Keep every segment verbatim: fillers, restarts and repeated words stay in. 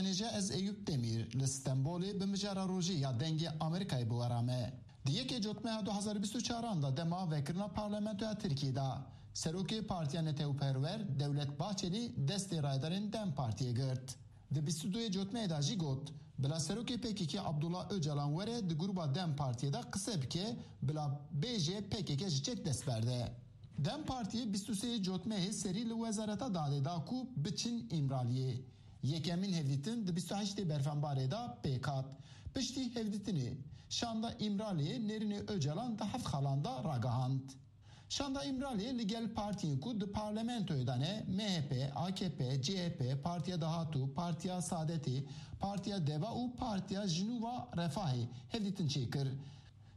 Nêje ez Eyûp Demîr li Stenbolê bi mijara rojê ya Dengê Amerîkayê bi we re me. Di yekê Cotmeha du hazar bîst û çaran de dema vekirina Parlamentoya Tirkiyê de Serokê Partiya Netewperwer Dewlet Bahçelî destê rayedarên DEM Partiyê girt. Di bîst û duyê Cotmehê de jî got, bila Serokê P K K Abdullah Ocalan were di grûba DEM Partiyê de qise bike, bila bêje P K K ji çek dest berde. DEM Partiyê bîst û sê Cotmehê serî li Wezareta Dadê da ku biçin Îmraliyê. Yekemîn hevdîtin di bîst û heştê Berfenbarê de pêk hat. Piştî hevdîtinê, şanda Îmraliyê nêrînê Ocalan di heft xalan de ragihand. Şanda Îmraliyê li gel partiyên ku di parlamentoyê de ne, M H P, A K P, C H P, Partiya Dahatû, Partiya Saadetê, Partiya Deva û Partiya Jinûva Refahê hevdîtin çêkir.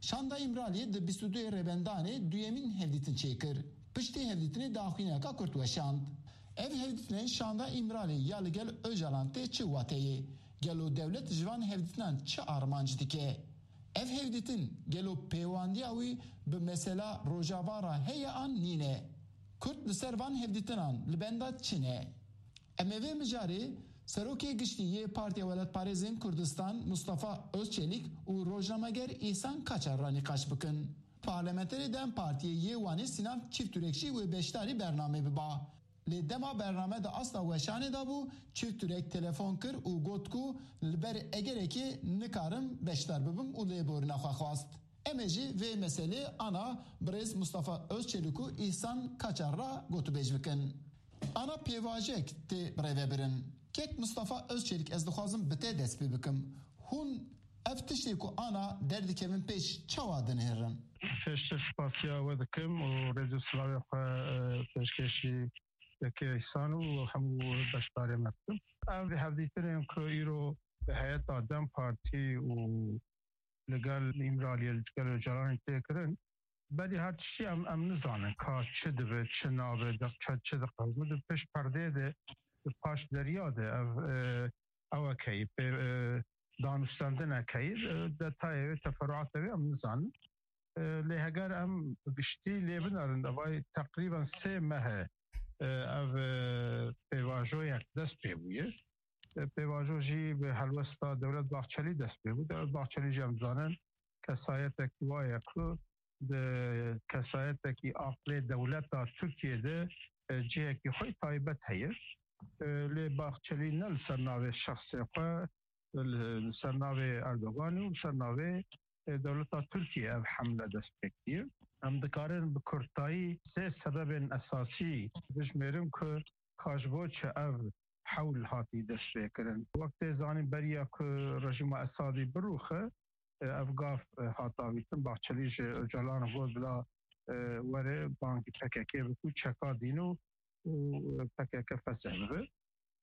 Şanda Îmraliyê di bîst û duyê Rêbendanê duyemîn hevdîtin çêkir. Piştî hevdîtinê daxuyaniyeka kurt weşand. Ev hevdîtinên şanda Îmraliyê ya li gel Ocalan tê çi wateyê? Gelo dewlet ji van hevdîtinan çi armanc dike? Ev hevdîtin gelo pêwandiya wî bi mesela Rojava re heye an nîne? Kurd li ser van hevdîtinan li benda çi ne? Em ê vê mijarê Serokê Giştî yê Partiya Welatparêzên Kurdistan Mustafa Özçelik û rojnameger Îhsan Kaçar re nîqaş bikin. Parlamenterê DEM Partiyê yê Wanê Sînan Çîfturek jî wê beşdarî bernamê biba. Lê dema bername di asta weşanê de bû, Çîfturek telefon kir û got ku li ber egerekê nikarim beşdar bibim û lêborîna xwe xwest. Em ê jî vê meselê ana birêz Mustafa Özçelik û Îhsan Kaçar re gotûbêj bikin. Ana pêvajek tê birêvebirin. Kek Mustafa Özçelik, ez dixwazim bi te dest pê bikim. Hûn ev tiştê ku ana derdikevin pêş çawa dinihêrin? Pêştir spasiya we dikim û rêz û silavê xwe, e, pêşkêşî Kekê Îhsan û hemû beşdarê me dikim. Ev hevdîtinên ku îro bi heyeta DEM Partî û li gel Îmraliyê, li gel Ocalanê tê kirin, berî her tiştî em, em nizanin ka çi dibe, çi nabe, de, çi, çi diqewime. Di pişt perdê de, di paş derya de ev, e, ewekeyî, pê, e, danûstendinekeyî, e, detayê wê, teferuatê wê em nizanin. E, lê heger em bi giştî lê binerin, evayî teqrîben sê meh e, e, ev, e, pêvajoyek dest pê bûye. E, pêvajo jî bi helwesta Dewlet Bahçelî dest pê bû. Dewlet Bahçelî jî em dizanin kesayetek wa ye ku di kesayetekî aqlê dewleta Tirkiyê de, e, cihekî xwe taybet heye. E, lê Bahçelî ne li ser navê şexsê xwe, li, li ser navê Erdoganê û li ser navê, e, dewleta Tirkiyê ev hemle dest pê kiriye. Em dikarin bi kurtayî sê sebebên esasî bijmêrin ku ka ji bo çi ev hewl hatî destpêkirin. Wek tê zanîn, beriya ku rejîma Esadî birûxe, e, ev gav, e, hat avîtin. Bahçelî ji Ocalan re got, bila, e, were bangî P K K bike û çeka dîno û P K K fesih bibe.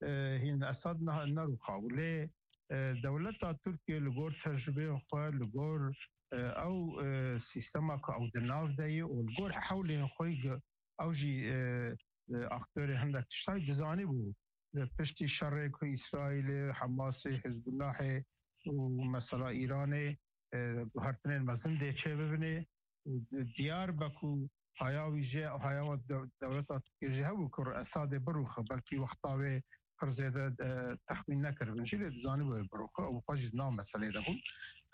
E, hîn Esad ne, nerûxa bû. Lê, e, dewleta Tirkiyê li gor tecrubeyên xwe, li gor, e, ew, e, sîstema ku ew di nav de ye û li gor hewlên xwe, ew jî, e, e, aktorê hindek tiştan dizanîbû. Li piştî şerê ku Îsraîlê, Hemasê, Hizbullahê û mesela Îranê, e, guhertinên mezin dê çêbibinê û di-, diyar be ku haya wî jê, haya we de-, dewleta Tirkiyê jî hebû ku Esadê birûxe, belkî wexta wê pir zêde, e, texmîn nekiribin jî, lê dizanî wê birûxe û xwe jî di nav meselê de bûn.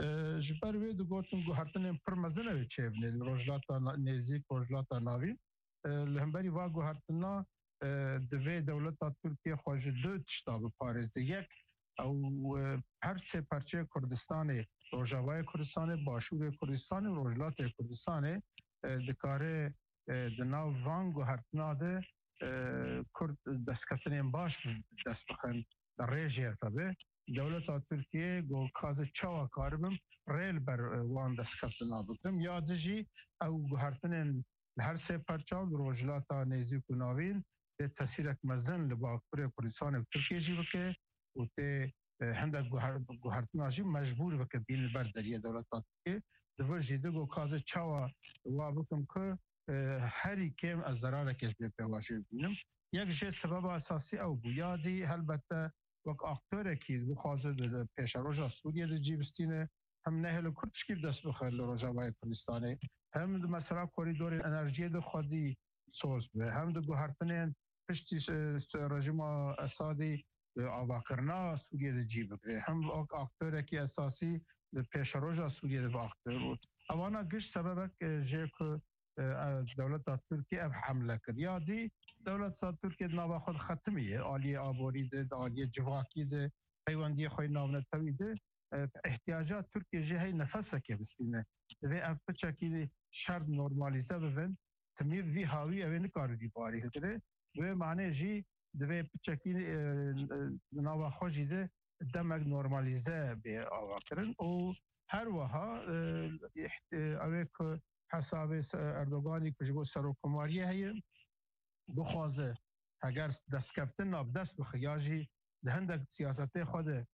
E, ji ber wê digotin guhertinên pir mezin ew ê çêbinê li Rojhilata Na-, Nêzîk, Rojhilata Navîn. E, li hemberî va guhertina, e, divê dewleta Tirkiye xwe ji du tişta biparêze. Yek, ew, e, her sê parçeyê Kurdistanê, Rojavayê Kurdistanê, Başûrê Kurdistanê û Rojhilatê Kurdistanê, e, dikare, e, di nav van guhertina de, e, Kurd destketinên baş dest bixin, di rêjê tabi. Dewleta Tirkiye got, ka ez çawa karibim rê li ber, e, wan destketina bikim. Ya di jî ew guhertinên li her sê parça û li Rojhilata Nêzîk û Navîn tê tesîrek mezin li Bakurê Kurdistanê û Tirkiyê jî bike û tê, e, hindek guher-, guhertina jî mecbûr bike bîn li ber deriyê dewleta Tirkiyê. Di vir jî digo, ka ez çawa wa bikim ku, e, herî kêm ez zerareke ji vê pêvajoyê bibînim. Yek jê sebeba esasî ew bû. Ya dî helbette wek aktorekî dixwaze di, di pêşeroja Sûriyê de cî bistîne, hem nehêle Kurd tişkî bi dest bixe li Rojavayê Kurdistanê, hem di mesela korîdorên enerjiyê de xwedî soz be, hem di guhertinên piştî, e, rejîma Esadî, e, avakirina Sûriyê de cî bigire. Hem wek aktorekî esasî li pêşeroja Sûriyê de bi aktor û evana giş sebebek, e, jê ku, e, e, dewleta Tirkiyê ev hemle kir. Ya dî dewleta Tirkiyê di nava xwe de xetimiye, aliyê aborî de, di aliyê civakî de, peywendiyê xwe yê navnetewî de, e, ihtiyaca Tirkiyê jê hey nefesekê bistîne. Divê ev piçekî şert normalîze bibin. Timî vî hawî ew ê nikare vî barî hilgire. Bi wê manê jî divê piçekî, e, e, nava xwe jî de demek normalîze bê avakirin û her wiha, e, îht-, e, ew ê ku hesabê se-, Erdoganî ku ji bo serokkomariyê heye, bixwaze heger destkeftin nav dest bixe ya jî di hindek siyasetê xwe de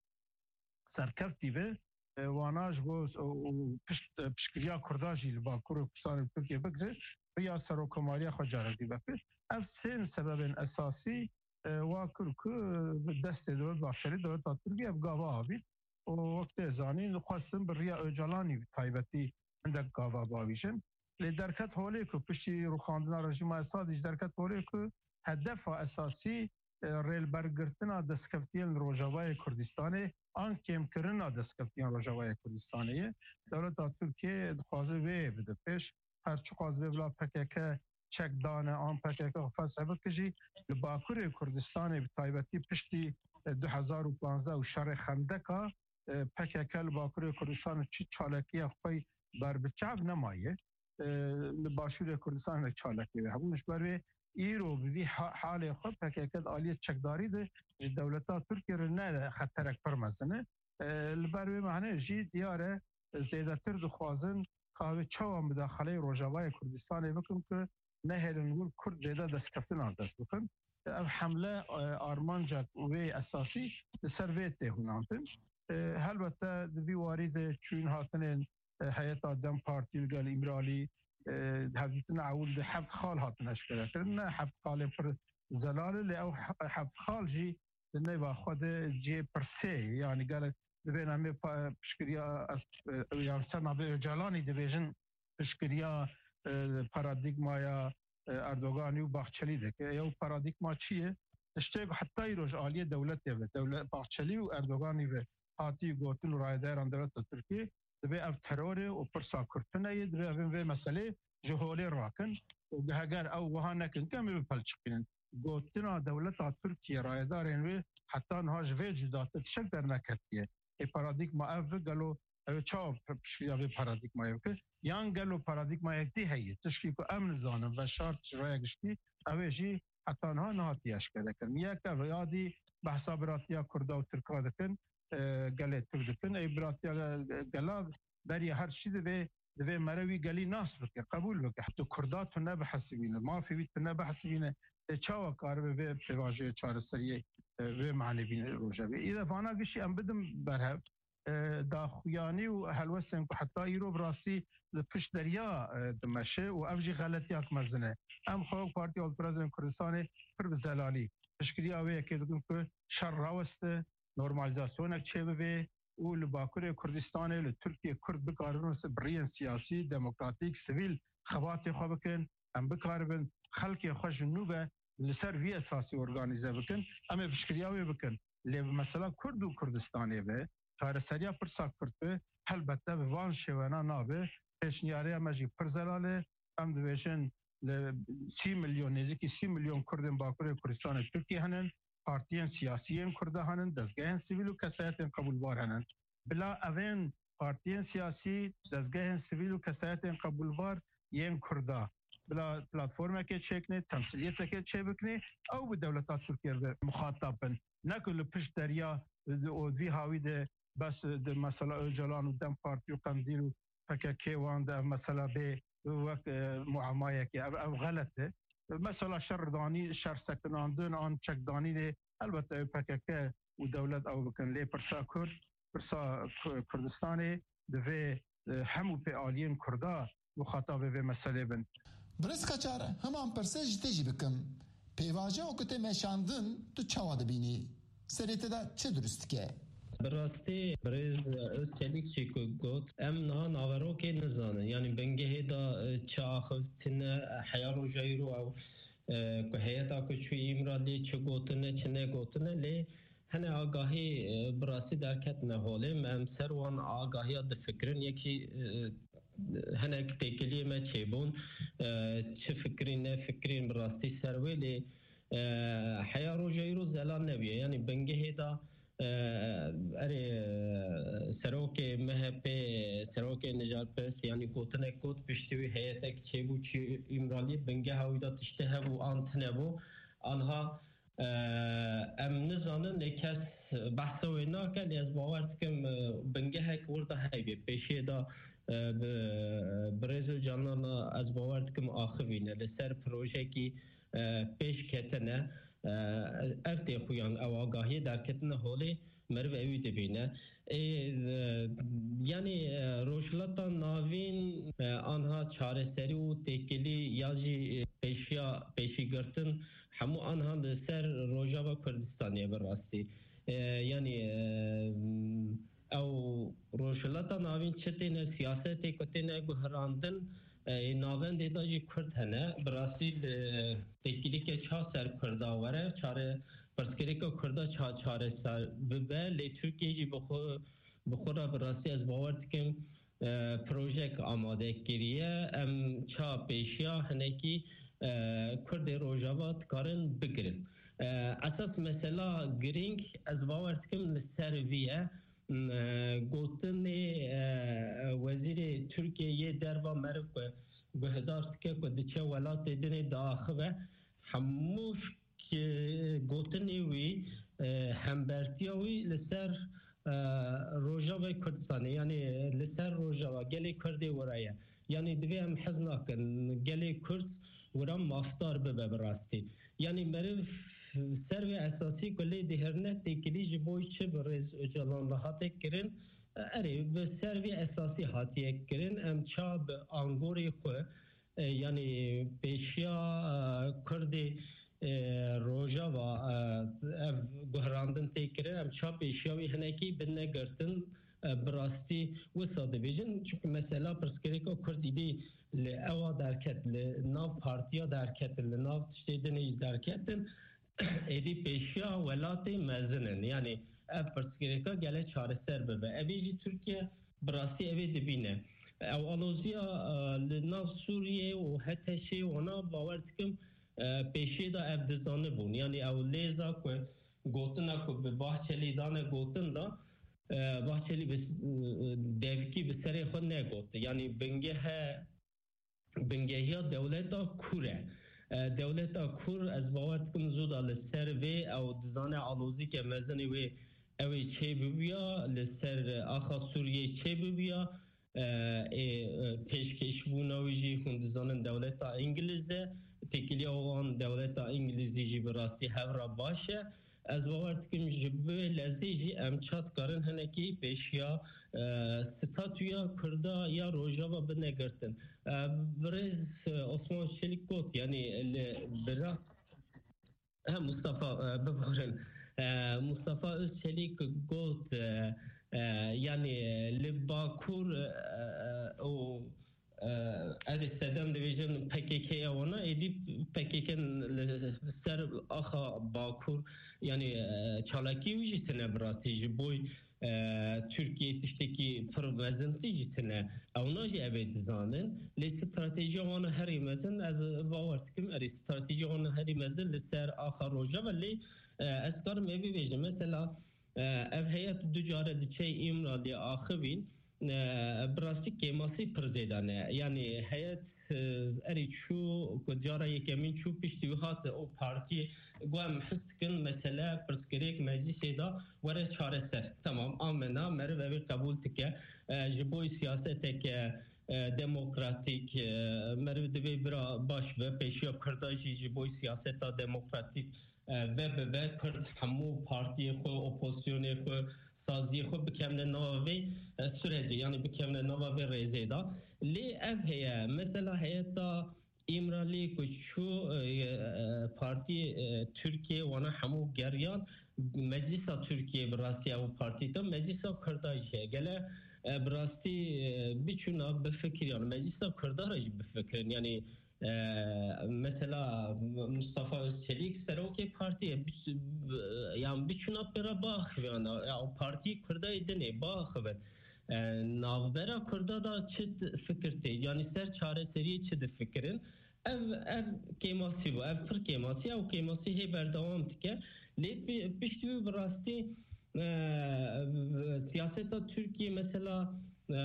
serkeftî be, e, wana ji bo s-, û, û pişt, e, piştgiriya Kurda jî li Bakur û Kurdistanê Tirkiye bigire, riya serokkomariya xwe carek dî vekir. Ev sê sebebên esasî, e, wa kir ku, e, bi destê Dewlet Bahçelî, dewleta Tirkiye ev gava avît. Û wek tê zanîn, dixwestin bi riya Ocalanî bi taybetî hindek gava bavîjin. Lê derket holê ku piştî rûxandina rejîma Esadî jî derket holê ku hedefa esasî, e, rêlbergirtina destkeftiyên li Rojavayê Kurdistanê an kêmkirina destkeftiyên Rojavayê Kurdistanê ye. Dewleta Tirkiye dixwaze wê bide pêş. Her çiqas vê bila P K K çek dane an P K K xwe fesih bike jî, li Bakurê Kurdistanê bi taybetî piştî, e, du hezar û panzdeh û şerê Xendeka, e, P K K li Bakurê Kurdistanê çi çalakiya xwe berbiçav nemaye. E, li Başûrê Kurdistanê de çalakî hebûn. Ji ber wê îro bi vî ha-, halê xwe P K K di aliyê çekdarî de ji dewleta Tirkiyê re ne xeterek pir mezin e. E, li ber wê mane jî diyar e, zêdetir dixwazin ka wê çawa mudaxaleyê Rojavayê Kurdistanê bikin ku nehêlin wir Kurd zêde destkeftinan dest bixin. Ev hemle, e, armanca wê esasî li ser vê tê hunandin. E, helbette di vî warî de çûyîn hatinên, e, heyeta DEM Partî li gel Îmralî, e, hevdîtina ewil de heft xal hatin eşkerekirin. Ne heft xalên pir zelal e, lê ew he-, heft xal jî di nêva xwe de cihê pirsê ye. Yanî gelek dibên em ê pa-, piştgiriya, e, yan ser navê Ocalanî dibêjin piştgiriya, e, paradîgmaya, e, Erdoganî û Bahçelî dike. Ew paradîgma çi ye? Tiştê ku heta îro ji aliyê dewletê ve, dewlet Bahçelî û Erdoganî ve hatî gotin û rayedaran dewleta Tirkiyê, divê ev teror e û pirsa Kurd tune ye, divê evên vê meselê ji holê rakin û heger ew wiha nekin, em ê bipelçiqînin. Gotina dewleta Tirkiye, rayedarên wê heta niha ji vê cudatir tiştek derneketiye. Ê paradîgma ev e, gelo ew ê çawa piştgiriya vê paradîgmayê bike? Yan gelo paradîgmayek dî heye? Tişkî ku em nizanin, veşart ji raya giştî, ew ê jî heta niha nehatiye eşkerekirin. Yek ev, ya dî behsa biratiya Kurda û Tirka dikin, e, gelê Tirk dikin. Ê biratiya gela beriya her tiştî divê, divê mere wî gelî nas bike, qebûl bike. Tu Kurda tu nebihesibîne, mafê wî tu nebihesibîne, te çawa karibe vê pêvajoyê çareseriyê, e, vê manê bîne rojevê? Î de vana giştî em bidin berhev, e, daxuyanî û helwestên ku heta îro bi rastî li pişt derya, e, dimeşe û ev jî xeletiyak mezin e. Em xwe wek Partiya Holperestên Kurdistanê pir bi zelalî piştgiriya wê yekê dikin ku şer raweste, normalîzasyonek çêbibe û li Bakurê Kurdistanê, li Tirkiyê Kurd bikaribin bi riyên siyasî, demokratîk, sivîl xebatê xwe bikin. Em bikaribin xelkê xwe ji nû ve li ser vî esasî organîze bikin. Em ê piştgiriya wê bikin. Lê bi mesela Kurd û Kurdistanê ve, çareseriya pirsa Kurd ve, helbette bi van şêwena nabe. Pêşniyariya me jî pir zelal e. Em dibêjin li sî milyon, nêzîkî sî milyon Kurdên Bakurê Kurdistanê Tirkiyê hene, partiyên siyasî yên Kurda hene, dezgehên sivîl û kesayetên qebûlbar hene. Bila evên partiyên siyasî, dezgehên sivîl û kesayetên qebûlbar yên Kurda bila platformekê çêkine, temsiliyetekê çêbikine, ew bi dewleta Tirkiyê re muxatab bin. Ne ku li pişt derya, e, û vî hawî de bes, e, di mesela Ocalan û DEM Partî û Qendîl û P K K wan de ev mesela bê wek, e, muamayekê. Ev, ev xelet e. Mesela şerdanî, şer sekinandin an çekdanî de helbette ew P K K û dewlet ew bikin. Lê pirsa Kurd, pirsa Ku-, Kurdistanê divê, e, hemû pê aliyên Kurda muxatabê vê meselê bin. Birêz Kaçar, heman pirse ji te jî bikim. Pêvajoya ku tê meşandin, tu çawa dibînî? Serê te de çi dirust dike? Bi rastî birêz Özçelik jî ku got, em niha naverokê nizanin. Yanî bingehê de, e, çi axivtine, heya roja îro ew, e, ku heyeta ku çû Îmraliyê çi gotine, çi negotine, lê hene agahî, e, bi rastî derketine holê. Me em ser wan agahiya difikirin. Yekî, e, hinek têkiliyê me çêbûn. E, çi fikirî, ne fikirîn bi rastî ser wê lê, e, heya roja îro zelal nebûye. Yanî bingehê de, e, erê, e, serokê M H P, serokê nijarperest, yanî gotinek got, piştî wî heyetek çêbû çi Îmraliyê, bingeha wî de tiştê hebû an tine bû. Anha, e, em nizanin, lê kes behsa wê nake, lê ez bawer dikim, e, bingehek wir de heyvê. Pêşiyê de, e, bi, bi rêz û canana ez bawer dikim axivîne. Li ser projekî, e, pêş ketine, e, ev tê xuyan, ew agahiyê derketine holê, meriv ewî dibîne. Ê, e, yanî, e, Rojhilata Navîn, e, anha çareserî û têkilî ya jî, e, pêşiya, pêşîgirtin hemû anha li ser Rojava Kurdistanê bi rastî. E, yanî, e, ew Rojhilata Navîn çi têne siyasetê ku têne guherandin, e, ê navendê de jî Kurd hene. Bi rastî li têkilîke ça ser Kurda were, çare, pirsgirêka Kurda ça çareser bibe, lê Tirkiye jî bi xwe, bi xwe re bi rastî ez bawer dikim, e, projek amade kiriye. Em ça pêşiya hinekî, e, Kurdê Rojava dikarin bigirin. E, esas mesela girîng ez bawer dikim li ser vî ye. M, e, gotinê, e, wezîrê Tirkiye yê derva meriv ku guhdar dike ku diçe welatê dinê diaxive, hemû ki gotinê wî, e, hembertiya wî li ser, e, Rojavayê Kurdistanê, yanî li ser Rojava gelê Kurdê wira ye. Yanî divê em hez nakin gelê Kurd wira mafdar bibe bi rastî. Yanî meriv ser vê esasî ku lê dihêrine têkilî ji bo çi bi rêz Ocalan re hate kirin, erê, bi ser vê esasî hatiye kirin. Em ça bi angorê xwe, e, yanî pêşiya, e, Kurdê, e, Rojava, e, ev guherandin tê kirin, em ça pêşiya wî hinekî binegirtin, e, bi rastî wisa dibêjin. Çunku mesela pirsgirêka Kurd îdî li ewa derket, li nav partiya derketin, li nav tiştê dinê jî derketin, êdî pêşiya welatê mezin in. Yanî ev pirsgirêka gele çareser bibe. Evê jî Tirkiye bi rastî evê dibîne. Ew aloziya, e, li nav Sûriyê û H T Ş'ê wana bawer dikim, e, pêşiyê de ev dizanibûn. Yanî ew lêza ku gotina ku bi Bahçelî dane gotin de, e, Bahçelî bi, e, devkî bi serê xwe negot. Yanî bingehe, bingehiya dewleta kûr e. E, dewleta kûr, ez bawer dikim zû da li ser vê ew dizane alozîke mezinê wê ew ê çê bibûya, li ser axa Sûriyê çê bibûya. E, ê, e, pêşkêşbûna wî jî hûn dizanin dewleta Îngiliz e, têkiliya wan dewleta Îngilizî jî bi rastî hev re baş e. Ez bawer dikim ji vê lezê jî em ça dikarin hinekî pêşiya, e, statûya Kurda ya Rojava binegirtin. E, birêz, e, Osman Çelik got, yanî li bira, he, Mustafa, e, biborin. E, Mustafa Özçelik got, e, e, yanî li Bakur, e, e, û, e, ez ê sedem dibêjim P K K ya wana, êdî P K K li ser axa Bakur, yanî, e, çalakî wî jî tine bi rastî ji bo, e, Tirkiye tiştekî pir mezintî jî tine. Ewna jî ev ê dizanin. Lê stratejiya wana herî mezin, ez bawer dikim, erê, stratejiya wana herî mezin li ser axa Rojava. Lê, e, ez karim ê bibêjim. Mesela, e, ev heyet du care diçe Îmraliyê axivîn, e, bi rastî kêmasî pir zêde ne. Yanî heyet, e, erê çû ku cara yekemîn çû, piştî wî hat û partiyê got, em his dikin mesele, pirsgirêk meclîsê de were çareser. Temam, amena, meriv ev ê qebûl dike. E, ji bo siyaseteke, e, demokratîk, e, meriv divê bira baş be, pêşiya Kurda jî ji bo siyaseta demokratîk, e, ve bibe. Kurd hemû partiyê xwe, opozisyonê xwe, saziyê xwe bikevne nava vê, e, sürecê, yanî bikevne nava vê rêzê de. Lê ev heye, mesela heyeta Îmraliyê ku çû, e, e, partiyê, e, Tirkiye wana hemû geriyan, Meclisa Tirkiye bi rastî ew partî te, Meclisa Kurda jî heye. Gele, e, bi rastî, e, biçûna bifikiriyan, Meclisa Kurda re jî bifikirin. Yanî E, mesela Mustafa Özçelik serokê partiyê, bi-, bi-, yan biçûna pêra biaxivin, ya o partî Kurda yê din ê biaxivin. E, navbera Kurda da çi fikir tê? Yanî ser çareseriyê çi difikirin? Ev, ev kêmasî bû, ev pir kêmasî, ew kêmasî hê berdewam dike. Lê pi-, piştî wî bi rastî, e, siyaseta Tirkiyê mesela, e,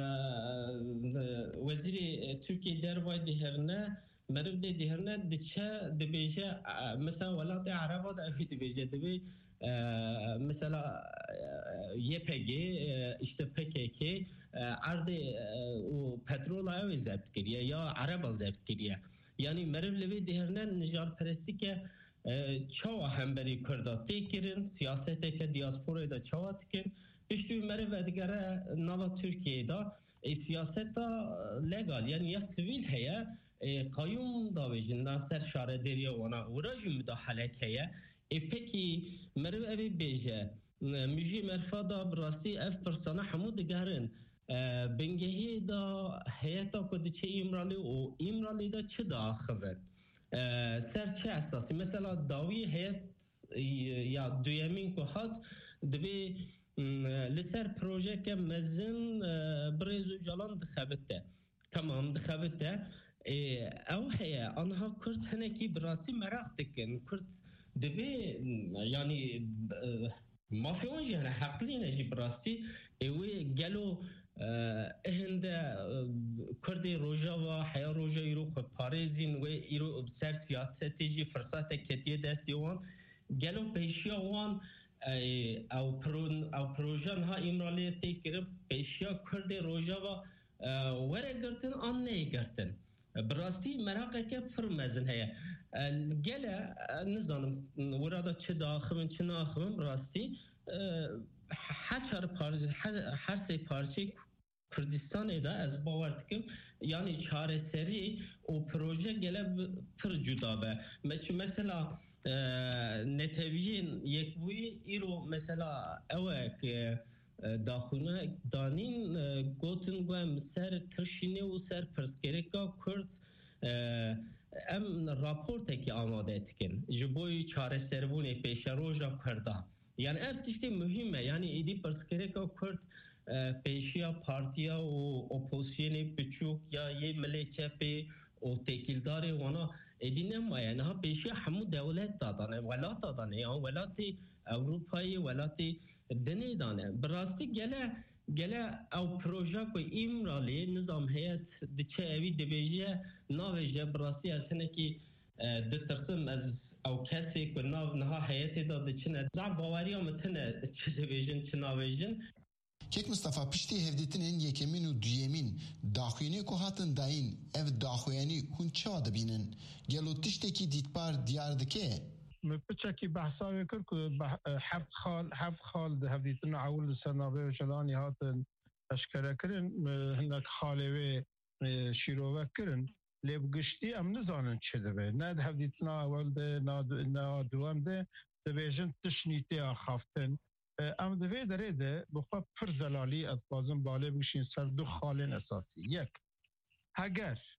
wezîrê Tirkiyê dervayî dihêrine, meriv lê dihêrine diçe dibêje, e, mesela welatê Ereba de ev dibêje, dibê, e, mesela, e, Y P G, e, işte P K K, e, erdê, e, û petrola ew ê zebt kiriye ya Ereba zebt kiriye. Yanî meriv li vê dihêrine nijarperestî ke, e, çawa hemberî Kurda tê kirin, siyaseteke diasporayê de çawa dikin. Piştî wî meriv vedigere nava Tirkiyeyê de, e, siyaseta legal, yanî ya sivîl heye, e, qayûm davêjin na ser şaredêriya wana, wira jî mudahalek heye. E, pekî meriv evê bêje, e, mijî merfa da bi rastî ev pirsana hemû digerin. E, bingehê da heyeta ku diçe Îmralî û Îmralî de çi diaxive? E, ser çi esasî? Mesela dawî heyet, e, ya duyemîn ku hat, divê, m, li ser projeke mezin, e, birêz Ocalan dixebite. Tamam, dixebite. E, ew heye, anha Kurd hinekî bi rastî meraq dikin. Kurd divê, m, yanî, e, mafê wan jî hene, heqlî ne jî bi rastî. Ê wê gelo, e, hinde, e, Kurdê Rojava, heya roja îro xwe parêzîn, wê îro ser siyasetê jî firsatek ketiye destê wan. Gelo pêşiya wan, e, ew pro-, ew proje niha Îmraliyê tê kirin, pêşiya Kurdê Rojava, e, were girtin an neyê girtin? Bi rastî meraqeke pir mezin heye. E, gele, e, nizanim, wira da çi diaxivin, çi naaxivin, bi rastî, e, her çar par-, her, her sê parçeyê Kurdistanê de ez bawer dikim, yanî çareserî û proje gele bi-, pir cuda be. Me-, çi mesela, e, netewiyên yekbûyî îro mesela ew e ke, e, daxûne danîn, e, gotin ku em ser tirşînê û ser pirsgirêka Kurd, e, em raportekî amade dikin ji bo çareserbûnê pêşeroja Kurdan. Yani ev tiştê muhîm e. Yani êdî pirsgirêka Kurd, e, pêşiya partiya û opozisyonê biçûk ya yê milê çepê û têkildarê wana êdî nemaye. Niha pêşiya hemû dewlet dadan e, welat dadan e, ya welatê Ewropayê, welatê dinê dane. Bi rastî gele, gele ew proja ku Îmralê nizam heyet diçe evî dibêje, navêje, bi rastî ez hinekî, e, ditirsim, ez ew kesê ku nav niha heyetê de diçine, zaf baweriya min tune çi dibêjin, çi navêjin. Kek Mistefa, piştî hevdîtinên yekemîn û duyemîn daxuyanî ku hatin dayîn, ev daxuyanî hûn çawa dibînin? Gelo tiştekî dîtbar diyar dike? Min piçekî behsa wê kir ku beh-, heft xal, heft xal di hevdîtina ewil li ser navê Ocalanî hatin eşkere kirin, hinek xalê wê, e, şîrove kirin. Lê bi giştî em nizanin çi dibe. Ne di hevdîtina ewil de, na du-, na duwem de dibêjin tişt nîtê axaftin. E, em di vê derê de bi xwe pir zelalî, ez dixwazim balê bigişîn ser du xalên esasî. Yek, heger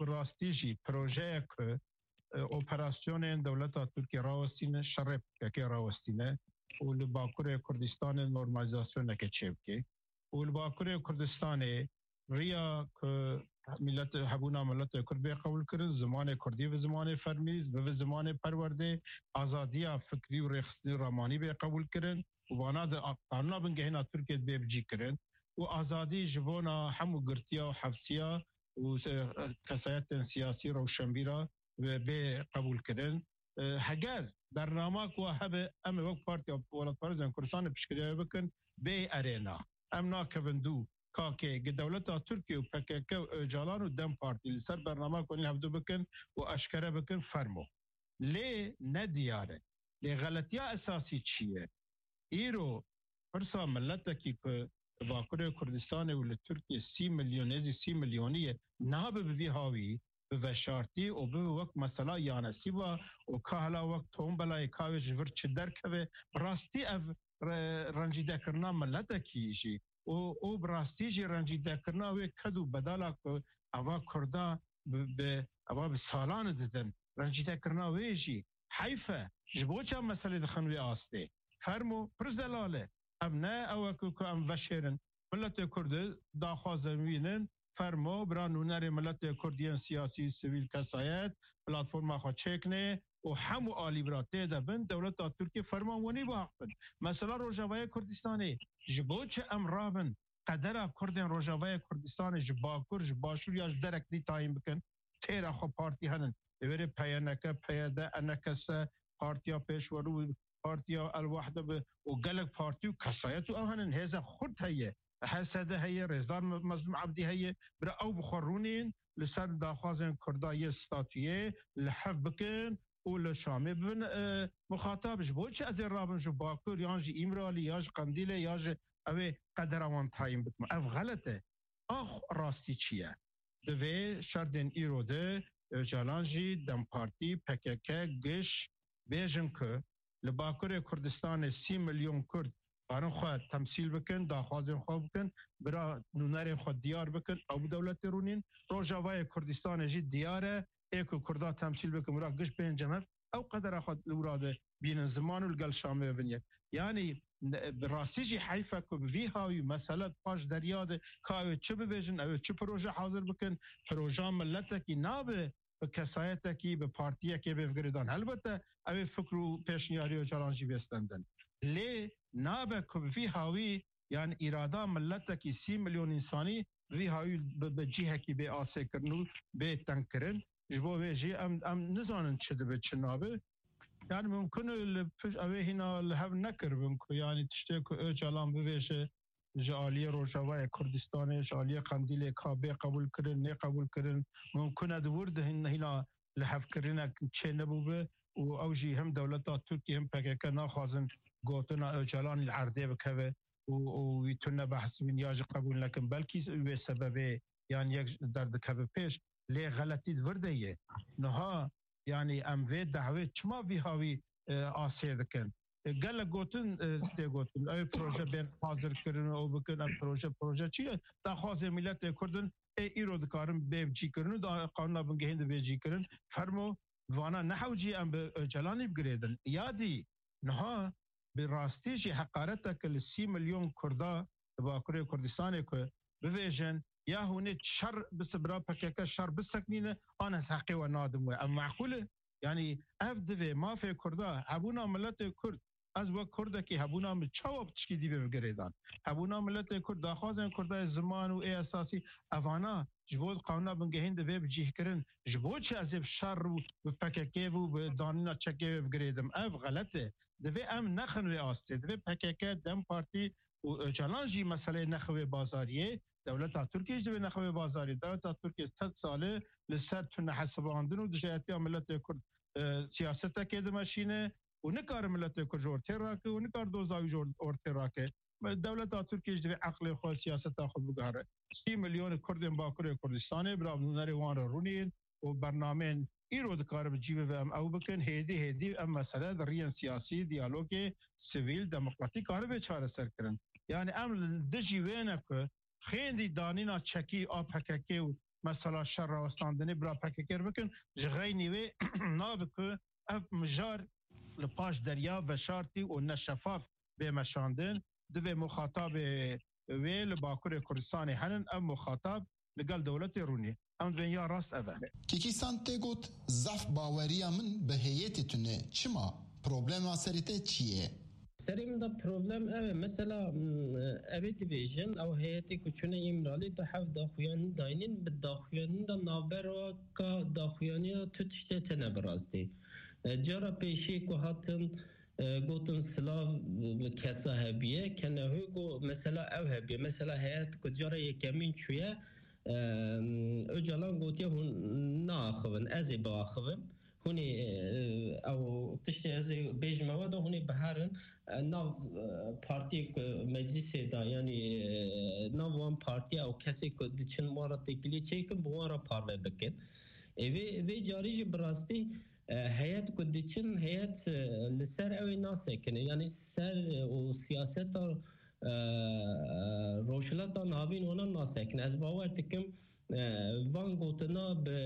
bi rastî jî projeyek, e, operasyonên dewleta Tirkiyê rawestîne, şerê P K K rawestîne û li Bakurê Kurdistanê normalizasyoneke çêbike û li Bakurê Kurdistanê riya ku milet, hebûna miletê Kurd bê qebûlkirin, zimanê Kurdî bi zimanê fermî, bi zimanê perwerdê, azadiya fikrî û rêxistinî ramanî bê qebûlkirin û vana di a-, qanûna bingehîna Tirkiyê bê bicîkirin û azadî ji bona hemû girtiya û hefsiya û se-, kesayetên siyasî rewşenbîra bê qebûlkirin. E, heger bernama ku hebe, em ê wek Partiya Welatparêzên Kurdistanê piştgiriya wê bikin, bê erêna. Em nakevin dû. Kakê, gi dewleta Tirkiye û P K K û Ocalan û DEM Partî li ser bernama ku hûn hevdû bikin û eşkere bikin, fermo. Lê ne diyar e. Lê xeletiya esasî çi ye? Îro pirsa miletekî ku Bakurê Kurdistanê û li Tirkiye sî milyon, nêzî sî milyonî ye, nabe bi vî hawî, bi veşartî û bibe wek mesela Yanesîba û ka hela wek tombelayê ka wê ji vir çi derkeve, bi rastî ev re-, rencîdekirina miletekî jî û, û bi rastî jî rencîdekirina wê ked û bedala ku eva Kurda bi, bi Eva bi salan didin. Rencîdekirina wê jî heyf e. Ji bo çi em meselê dixin wê astê? Fermo, pir zelal e. Em ne ew e ku, ku em veşêrin. Miletê Kurd daxwazên wî nin, fermo, bira nûnerê miletê Kurd yên siyasî, sivîl, kesayet, platforma xwe çêkinê û hemû alî bira tê de bin, dewleta Tirkiyê ferman wenî bihaqin. Mesela Rojavayê Kurdistanê, ji bo çi em rabin, qedera Kurdên Rojavayê Kurdistanê ji Bakur, ji Başûr ya ji derek dî tayîn bikin? Têra xwe partî henin. Li wêrê P Y N K, P Y D, E N K S, Partiya Pêşwerû, Partiya El Wahde bi û gelek partî û kesayet û ew henin. Hêza xurt heye. H S D heye, Rêzdar Me-, Mezlûm Ebdî heye. Bira ew bi xwe rûnîn, li ser daxwazên Kurda yê statuyê li hev bikin û li Şamê bibin, e, muxatab. Ji bo çi ez ê rabim ji Bakur, yan ji Îmralî, ya ji Qendîlê, ya ji ew ê qedera wan tayîn bikim? Ev xelet e. Ax rastî çi ye? Divê şerdên îro de Ocalan jî, DEM Partî, P K K, giş bêjin ku li Bakurê Kurdistanê sî milyon Kurd karin xwe temsîl bikin, daxwazên xwe bikin, bira nûnerên xwe diyar bikin, ew bi dewletê rûnîn. Rojavayê Kurdistanê jî diyar e, ê ku Kurda temsîl bikin, bira giş bên cem hev, ew qedera xwe li wira de bînin ziman û li gel Şamê bibin yek. Yanî, ne, bi rastî jî heyf e ku bi vî hawî mesele paş derya de ka ew ê çi bibêjin, ew ê çi proje hazir bikin, proja miletekî nabe bi kesayetekî, bi partiyekê bê girêdan. Helbete ew ê fikr û pêşniyarî Ocalan jî bê stendin. Lê nabe ku bi vî hawî, yanî, îrada miletekî sî milyon însanî vî hawî bi, bi cihekî bê asê kirin û bê teng kirin. Ji bo vê jî em, em nizanin çi dibe, çi nabe. Yani mumkin e li piş-, ew ê hîna li hev nekiribin ku, yani, tiştê ku Ocalan bibêje ji aliyê Rojavayê Kurdistanê, ji aliyê Qendîlê ka bê qebûl kirin, nê qebûl kirin. Mumkin e di wir de hîn-, hîna lihevkirinek çê nebûbe û ew jî hem dewleta Tirkiyê hem P K K naxwazin gotina Ocalanî li erdê bikeve û, û wî tune behs bîn ya jî qebûl nekin. Belkî wê sebebê yan yek derdikeve pêş, lê xeletî di vir de ye. Niha, yanî, em vê dehwê çima vî hawî, e, asê dikin? E, gelek gotin, e, tê gotin. Ew proje bên hazir kirin, ew bikin, ev proje, proje çi ye? Daxwazê miletê Kurd in, ê îro dikarin bê cî kirin û da qanûna bingehîn de bê cî kirin. Fermo, vana nehewcî em bi Ocalanî bigirêdin. Ya dî, niha bi rastî jî heqareteke li sî milyon Kurda di Bakurê Kurdistanê ku bivêjin, ya hûn ê şer bisi-, bira P K K şer biseknîne, an ez heqê we nadim we. Ev meqûl e? Yanî ev divê mafê Kurda, hebûna miletê Kurd, ez wek Kurdekî hebûna min çawa bi tişkî dî bê girêdan? Hebûna miletê Kurd, daxwazên Kurda yê ziman û ê esasî, evana ji bo qanûna bingehîn divê bicîhkirin. Ji bo çi ez ê bi şer û bi P K K û bi danîna çekê wê bigirêdim? Ev xelet e. Divê em nexin wê astê. Divê P K K, DEM Partî û Ocalan jî meseleyê nexin wê bazariyê. Dewleta Tirkiyê jî divê nexin wê bazariyê. Dewleta Tirkiyê sed sal e li ser tunehesibandin û dijayetiya miletê Kurd, e, siyasetekê dimeşîne û nikare miletê Kurd ji ortê rake û nikare doza wî ji or-, ortê rake. Dewleta Tirkiyê jî divê eqlê xwe, siyaseta xwe biguhere. Sî milyon Kurdên Bakurê Kurdistanê bira nûnerê wan re rûnîn û bernameyên îro dikare bi cî bibe, em ew bikin. Hêdî hêdî ev mesele di riyên siyasî, diyalogê sivîl, demokratîk karibe çareser kirin. Yani em li dijî wê ne ku xêndî danîna çekî a P K K û mesela şer rawestandinê bira P K K bikin, ji xeynî wê nabe ku ev mijar li paş derya veşartî û neşefaf bê meşandin. Divê muxatabê wê li Bakurê Kurdistanê henin, ev muxatab li gel dewletê rûnî. Em dibên ya rast ev e. Kîkî San tê got, zaf baweriya min bi heyetê tune. Çima? Problema serê te çi ye? Serê min de problem ev e. Mesela, m, ev ê dibêjin, ew heyetê ku çûne Îmralî, tu heft daxuyanî dayînin, bi daxuyanî de navbera ka daxuyaniya tu tiştê tine bi rastî. E, cara pêşî ku hatin, e, gotin silav bi kesa hebiye, kenehû got mesela ew hebiye. Mesela heyet ku cara yekemîn çûye, e, Ocalan gotiye hûn naaxivin, ez ê biaxivim. Hûn ê, e, ew tiştê ez ê bêjime we de hûn ê biherin, e, nav, e, partiyê ku meclisê de, yanî, e, nav wan partiya ew kesê ku diçin wan re têkilî çêkin, bi wan re parve bikin. Ê, vê, vê carî jî bi rastî, e, heyet ku diçin, heyet, e, li ser ew ê nasekine. Yanî ser, e, û siyaseta, e, e, Rojhilata Navîn wana nasekine. Ez bawer dikim, e, van gotina bi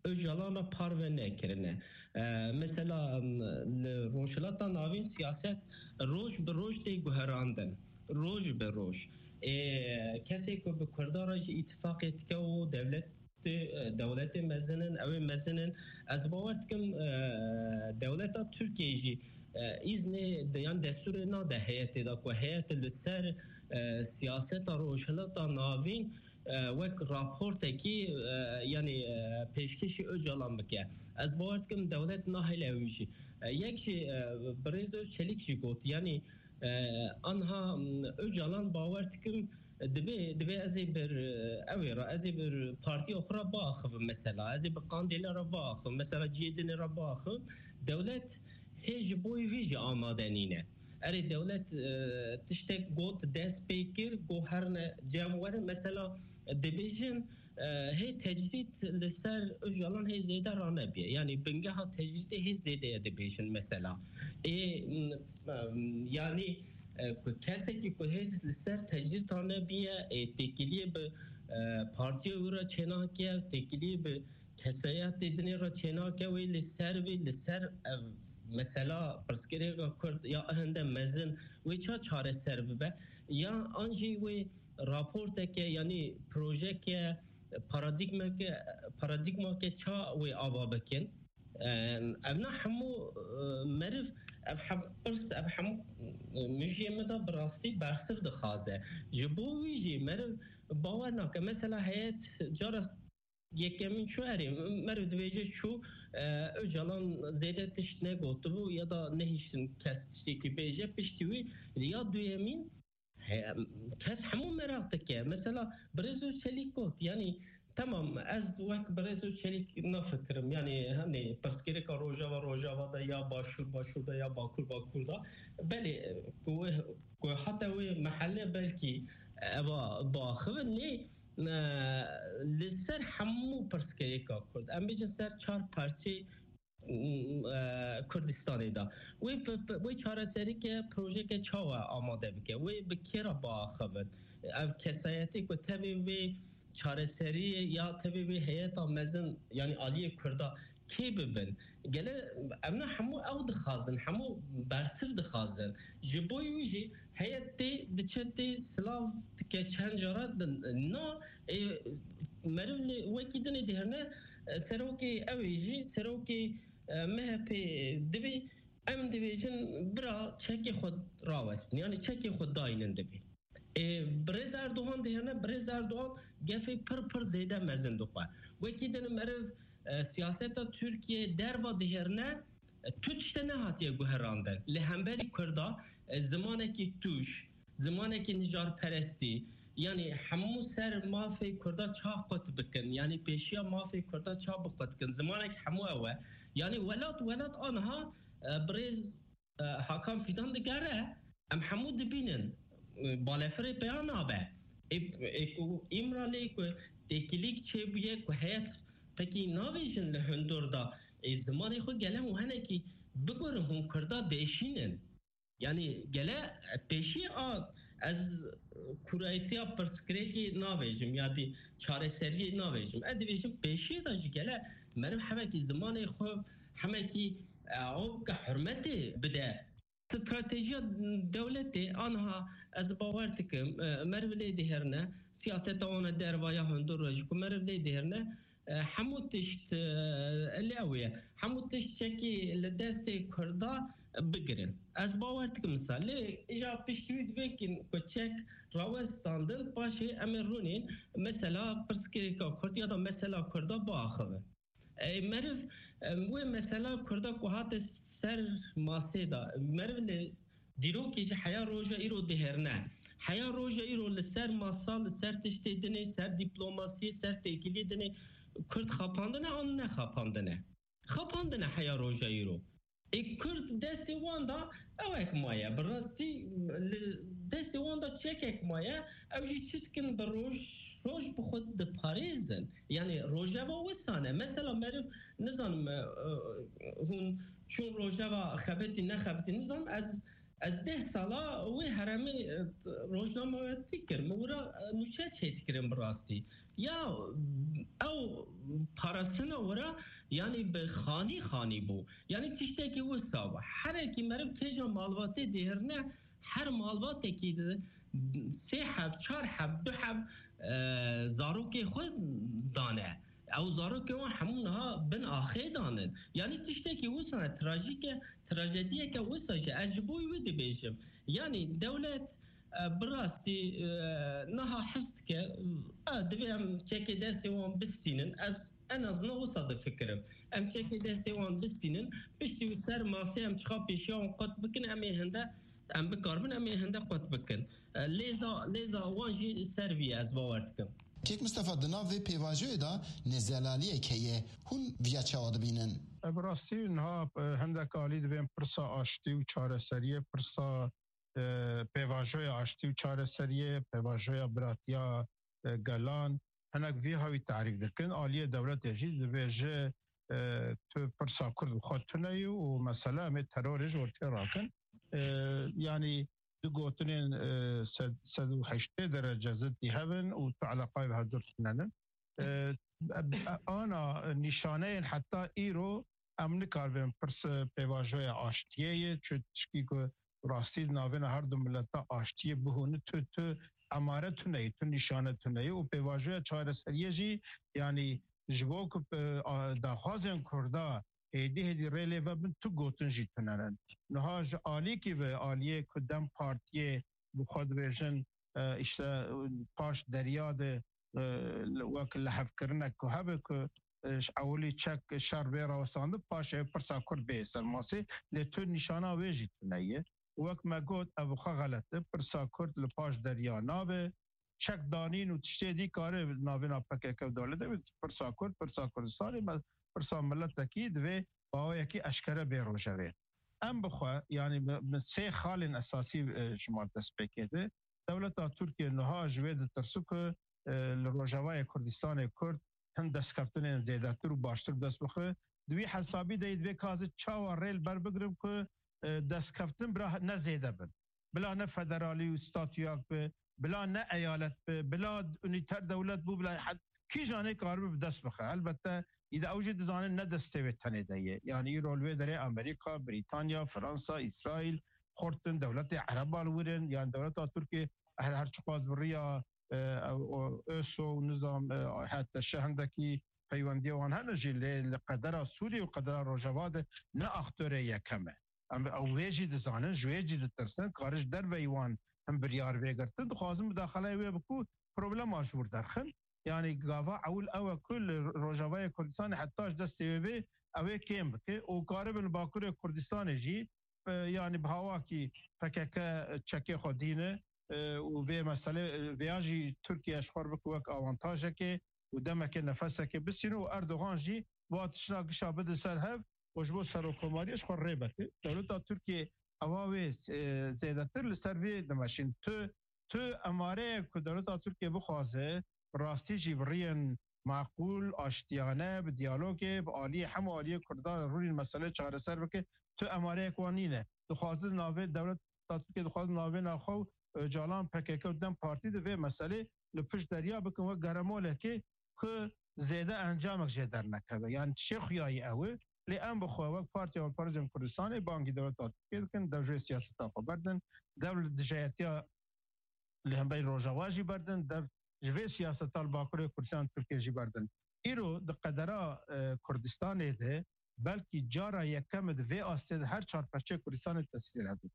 Ocalan re parve nekirine. E, mesela, m, li Rojhilata Navîn siyaset roj bi roj tê guherandin. Roj bi roj. Ê, kesê ku bi Kurdan re jî îtifaqê dike û dewlet, e, dewletê mezin in, ew ê mezin in. Ez bawer dikim, e, dewleta Tirkiyeyê jî, e, îznê de, yan destûrê nade heyetê de ku heyet li ser, e, siyaseta Rojhilata Navîn, e, wek raportekî, e, yanî, e, pêşkêşî Ocalan bike. Ez bawer dikim dewlet nahêle wî jî. E, yek jî, e, birêz Çelîk jî got, yanî, e, anha, m, Ocalan bawer dikim, Divê, divê ez ê bir, ew ê re, ez ê bir partiya xwe re biaxivim mesela. Ez ê bi Qandêlê re biaxivim. Mesela cihê dinê re biaxivim. Dewlet hê ji bo vî jî amade nîne. Erê dewlet, e, tiştek got, dest pê kir, got herne cem werin. Mesela dibêjin, e, hê tecrîd li ser Ocalan hê zêde ranebiye. Yanî bingeha tecrîdê hê zêde ye dibêjin mesela. Ê, m, m, yanî, e, ku kesekî ku hê li ser tecrîd ranebiye, ê, têkiliyê bi, e, partiya wî re çênake, têkiliyê bi kesayetê dinê re çênake, wê li ser wê, li ser, e, mesela pirsgirêka Kurd ya hinde mezin wê ça çareser bibe? Ya an jî wê raporteke, yanî projeke, paradîgmeke, paradîgmake ça wê ava bikin? Em, ev ne hemû, e, meriv, ev hem-, pirs, ev hemû, e, mijiyê me de bi rastî bersiv dixwaze. Ji bo wî jî meriv bawer nake. Mesela heyet cara yekemîn çû erê, meriv dibêje çû, e, Ocalan zêde tişt negotibû ya da nehiştin kes tiştekî bêje, piştî wî ya duyemîn, He, kes hemû meraq dike. Mesela, Birêz Çelîk got, yanî, temam, ez wek Birêz Çelîk nafikirim. Yanî, hani, pirsgirêka Rojava, Rojava da ya Başûr, Başûr da ya Bakur, Bakur da. Belê, ku, ku hata wê mehelle belkî eva biaxivin, lê, e, li ser hemû pirsgirêka Kurd. Em bêjin ser çar parçeyê e, Kurdistanê de. Wê bi, bi, wê çareserîke, projeke çawa amade bike? Wê bi kê re biaxivin? Ev kesayetê ku tevê wê çareseriyê ya tevê wê heyeta mezin, yanî aliyê Kurda kê bibin? Gele em ne hemû ew dixwazin, hemû bersiv dixwazin. Ji bo wî jî heyet tê, diçe tê, silav dike çend cara din. Na, ê, meriv li wekî dinê dihêrne, e, serokê ew ê jî, serokê e, M H P divê em dibêjin bira çekê xwe rawestin, yanî çekê xwe daynin divê. E, Birêz Erdogan dihêne, Birêz Erdogan gefê pir pir zêde mezin dixwe. Wekî din meriv, e, siyaseta Tirkiye derva dihêrne, e, tu tişte nehatiye guherandin. Li hemberî Kurda, e, zimanekî tûj, zimanekî nijarperestî, yanî hemû ser mafê Kurda ça qut bikin, yanî pêşiya mafê Kurda ça biqut kin, zimanek hemû ew e. Yanî welat, welat aniha, e, birêz, e, Hakan Fidan digere, em hemû dibînin, e, balefirê peya nabe. Ê, ê ku Îmralê ku têkilîk çêbûye, ku heyet pekî navêjin li hundur da, ê, zimanê xwe gele hûn henekî bigurin, hûn Kurda dêşînin. Yanî gele pêşî a ez kurayetiya pirsgirêkê navêjim ya dî çareseriyê navêjim. Ez dibêjim pêşiyê de jî gele meriv hemekî zimanê xwe, hemekî, e, ew ke hurmetê bide. Stratejiya dewletê aniha ez bawer dikim, e, meriv lê dihêrine, siyaseta wan e derva ya hundur re jî ku meriv lê dihêrine, e, hemû tişt, e, li ew ye. Hemû tişt çekî li destê Kurda bigirin. Ez bawer dikim wisa. Lê îja piştî wî divê ku çek rawestandin, paşê em ê rûnên mesela pirsgirêka Kurd ya da mesela Kurda biaxivin. Ê, meriv, em, wê mesela Kurda ku hate ser masê de, meriv li dîrokê jî heya roja îro dihêrine. Heya roja îro li ser masa, li ser tiştê dinê, ser dîplomasiyê, ser têkiliyê dinê Kurd xapandine an nexapandine? Xapandine heya roja îro. Ê Kurd destê wan da ewek maye. Bi rastî li destê wan da çekek maye. Ew jî çi dikin bi roj, roj bi xwe diparêzin. Yanî rojeva wisa ne. Mesela meriv nizanim, e, e, hûn çûn rojeva xebitî nexebitî nizanim. Ez Ez deh sala wê heremê, e, rojnamevatî kir. Min wira, e, nûçe çêdikirin bi rastî. Ya ew parastina wira, yanî bi xanî xanî bû. Yanî tiştekî wisa bû. Herekî meriv kêja malbatê dihirne, her malbatekî de sê heb, çar heb, du heb, e, zarokê xwe dane. Ew zarokê wan hemû niha bin axê danin. Yanî tiştekî wisa trajîk e, trajediyeke wisa jî ez ji bo wî dibêjim. Yanî dewlet, e, bi rastî, e, niha his dike, e, divê em çekê destê wan bistînin. Ez en azından wisa difikirim. Em çekê destê wan bistînin, piştî wî ser masê em çiqa pêşiya wan qut bikin, em ê hinde, em bikaribin, em ê hinde qut bikin. E, lêza, lêza wan jî ser vî ez bawer dikim. Kek Mistefa, di nav vê pêvajoyê de nezelaliyek heye. Hûn viya çawa dibînin? E, bi rastî niha, e, hindek alî divên pirsa aştî û çareseriyê, pirsa, e, pêvajoya aştî û çareseriyê, pêvajoya biratiya, e, gelan, hinek vî hawî tarîf dikin. Aliyê dewletê jî dibêje, e, tu pirsa Kurd bi xwe tune yî û mesele em ê terorê ji ortê rakin. E, yanî du gotinên, e, sed, sed û heştê derece ziddî hev in û tu eleqayê bi hevdûr tune nin. E, e, ana nîşaneyên heta îro em nikaribin pirs pêvajoya aştiyê ye, çi tişkî ku rastî di navêna her du mileta aştiyê bihûni, tu, tu emare tune yî, tu nîşane tune yî û pêvajoya çareseriyê jî, yanî ji bo ku, e, a, daxwazên Kurda hêdî hêdî rê lê vebin, tu gotin jî tune ne. Niha ji alîkî ve, aliyê ku DEM Partiyê bi xwe dibêjin, e, îşte, e, paş derya de, e, li, wek lihevkirinek ku hebe ku, e, ji ewilî çek şer bê rawestandin, paşê pirsa Kurd bê ser masê, lê tu nîşana wê jî tune ye. Wek me got, ev xwe xelet e. Pirsa Kurd li paş derya nabe. Çek danîn û tiştê dî kare navêna P K K û dewletê be. Pirsa Kurd, pirsa Kurdistanê, me, pirsa miletekî divê bi awayekî eşkere bê rojevê. Em bi xwe, yanî bi, bi sê xalên esasî, e, ji me dest pê kete. Dewleta Tirkiye niha ji wê ditirsi ku, e, li Rojavayê Kurdistanê Kurd hin destkeftinên zêdetir û baştir bi dest bixe. Di wî hesabî de yê divê ka ez çawa rê li ber bigirim ku, e, destkeftin bila ne zêde bin. Bila ne federalî û statûyak bi, bila ne eyalet bi, bila unîter dewlet bû, bila he-, kîjan ê karibe bi dest bixe. Helbette, îde ew jî dizanin ne destê wê tenê de ye. Yanî îro li wê derê Amerîka, Brîtanya, Fransa, Îsraîl, xurt in, dewletê Ereba li wir in, yanî dewleta Tirkiyê her, her çiqas bi riya, e, o, ÖSO û nizam, e, hete şe hindekî peywendiya wan hene jî, lê li qedera Sûriyê û qedera Rojava de ne aktorê yekem e. Em, ew wê jî dizanin, ji wê jî ditirsin, kare ji derveyî wan him biryar vê girtin, dixwazin mudaxaleyê wê biku problema ji wir derxin. Yanî gava ewil ew e ku li Rojavayê Kurdistanê heta ji destê wê bê, ew ê kêm bike û karibin li Bakurê Kurdistanê jî, e, yanî bi hawakî P K K çekê xwe dîne, e, û vê meselê, e, vêya jî Tirkiye ji xwe re bike wek awantajekê û demekê nefesekê bisîne û Erdogan jî va tişta gişa bide ser hev û ji bo serokkomariyê ji xwe rê bete. Dewleta Tirkiye ewa wê, e, zêdetir li ser vê dimeşîn. Tu, tu emareyek ku dewleta Tirkiye bixwaze, bi rastî jî bi riyên maqûl, aştiyane, bi diyalogê, bi aliyê hemû aliyê Kurdan rûnîn meselê çareser bike, tu emareyek wan nîne. Dixwaze navê dewleta Tirkiye, dixwaze navê naxwe û Ocalan, P K K û DEM Partî di vê meselê li pişt derya bikin wek geremolekê ku zêde encamek jê dernekeve. Yanî çi xuyayî ew e. Lê em bi xwe wek Partiya Hevpar Cem Kurdistanê bangî dewleta Tirkiye dikin, dev ji vê siyaseta xwe berdin, dev li dijayetiya li hemberî Rojava jî berdin, dev ji vê siyaseta li Bakurê Kurdistan Tirkiye jî berdin. Îro di qedera, e, Kurdistanê de belkî cara yekem e di vê astê de her çar perçeyê Kurdistanê tesîrê hebe.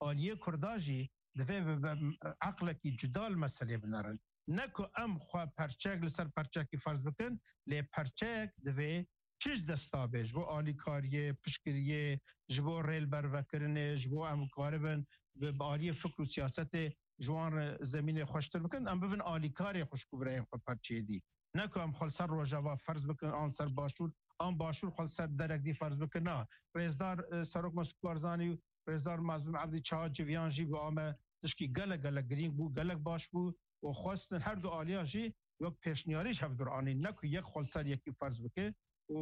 Aliyê Kurda jî divê bi, bi eqlekî cuda li meselê binerin. Ne ku em xwe perçeyek li ser perçeyekî ferz bikin, lê perçeyek divê çi ji desta bê ji bo alîkariyê, piştgiriyê, ji bo rêlbervekirinê, ji bo em karibin bi, bi aliyê fikr û siyasetê ji wan re zemînê xweştir bikin, em bibin alîkarê xwişk û birayên xwe perçeyê dî. Ne ku em xwe li ser Rojava ferz bikin, an ser Başûr, an Başûr xwe li ser derek dî ferz bikin. Na, rêzdar, e, Serok Mesûd Barzanî û rêzdar Mazlûm Ebdî çawa civiyan jî bi ame tişkî gelek, gelek girîng bû, gelek baş bû û xwestin her du aliya jî wek pêşniyarî ji hevdûr anîn, ne ku yek xwe li ser yekî ferz bike. Û,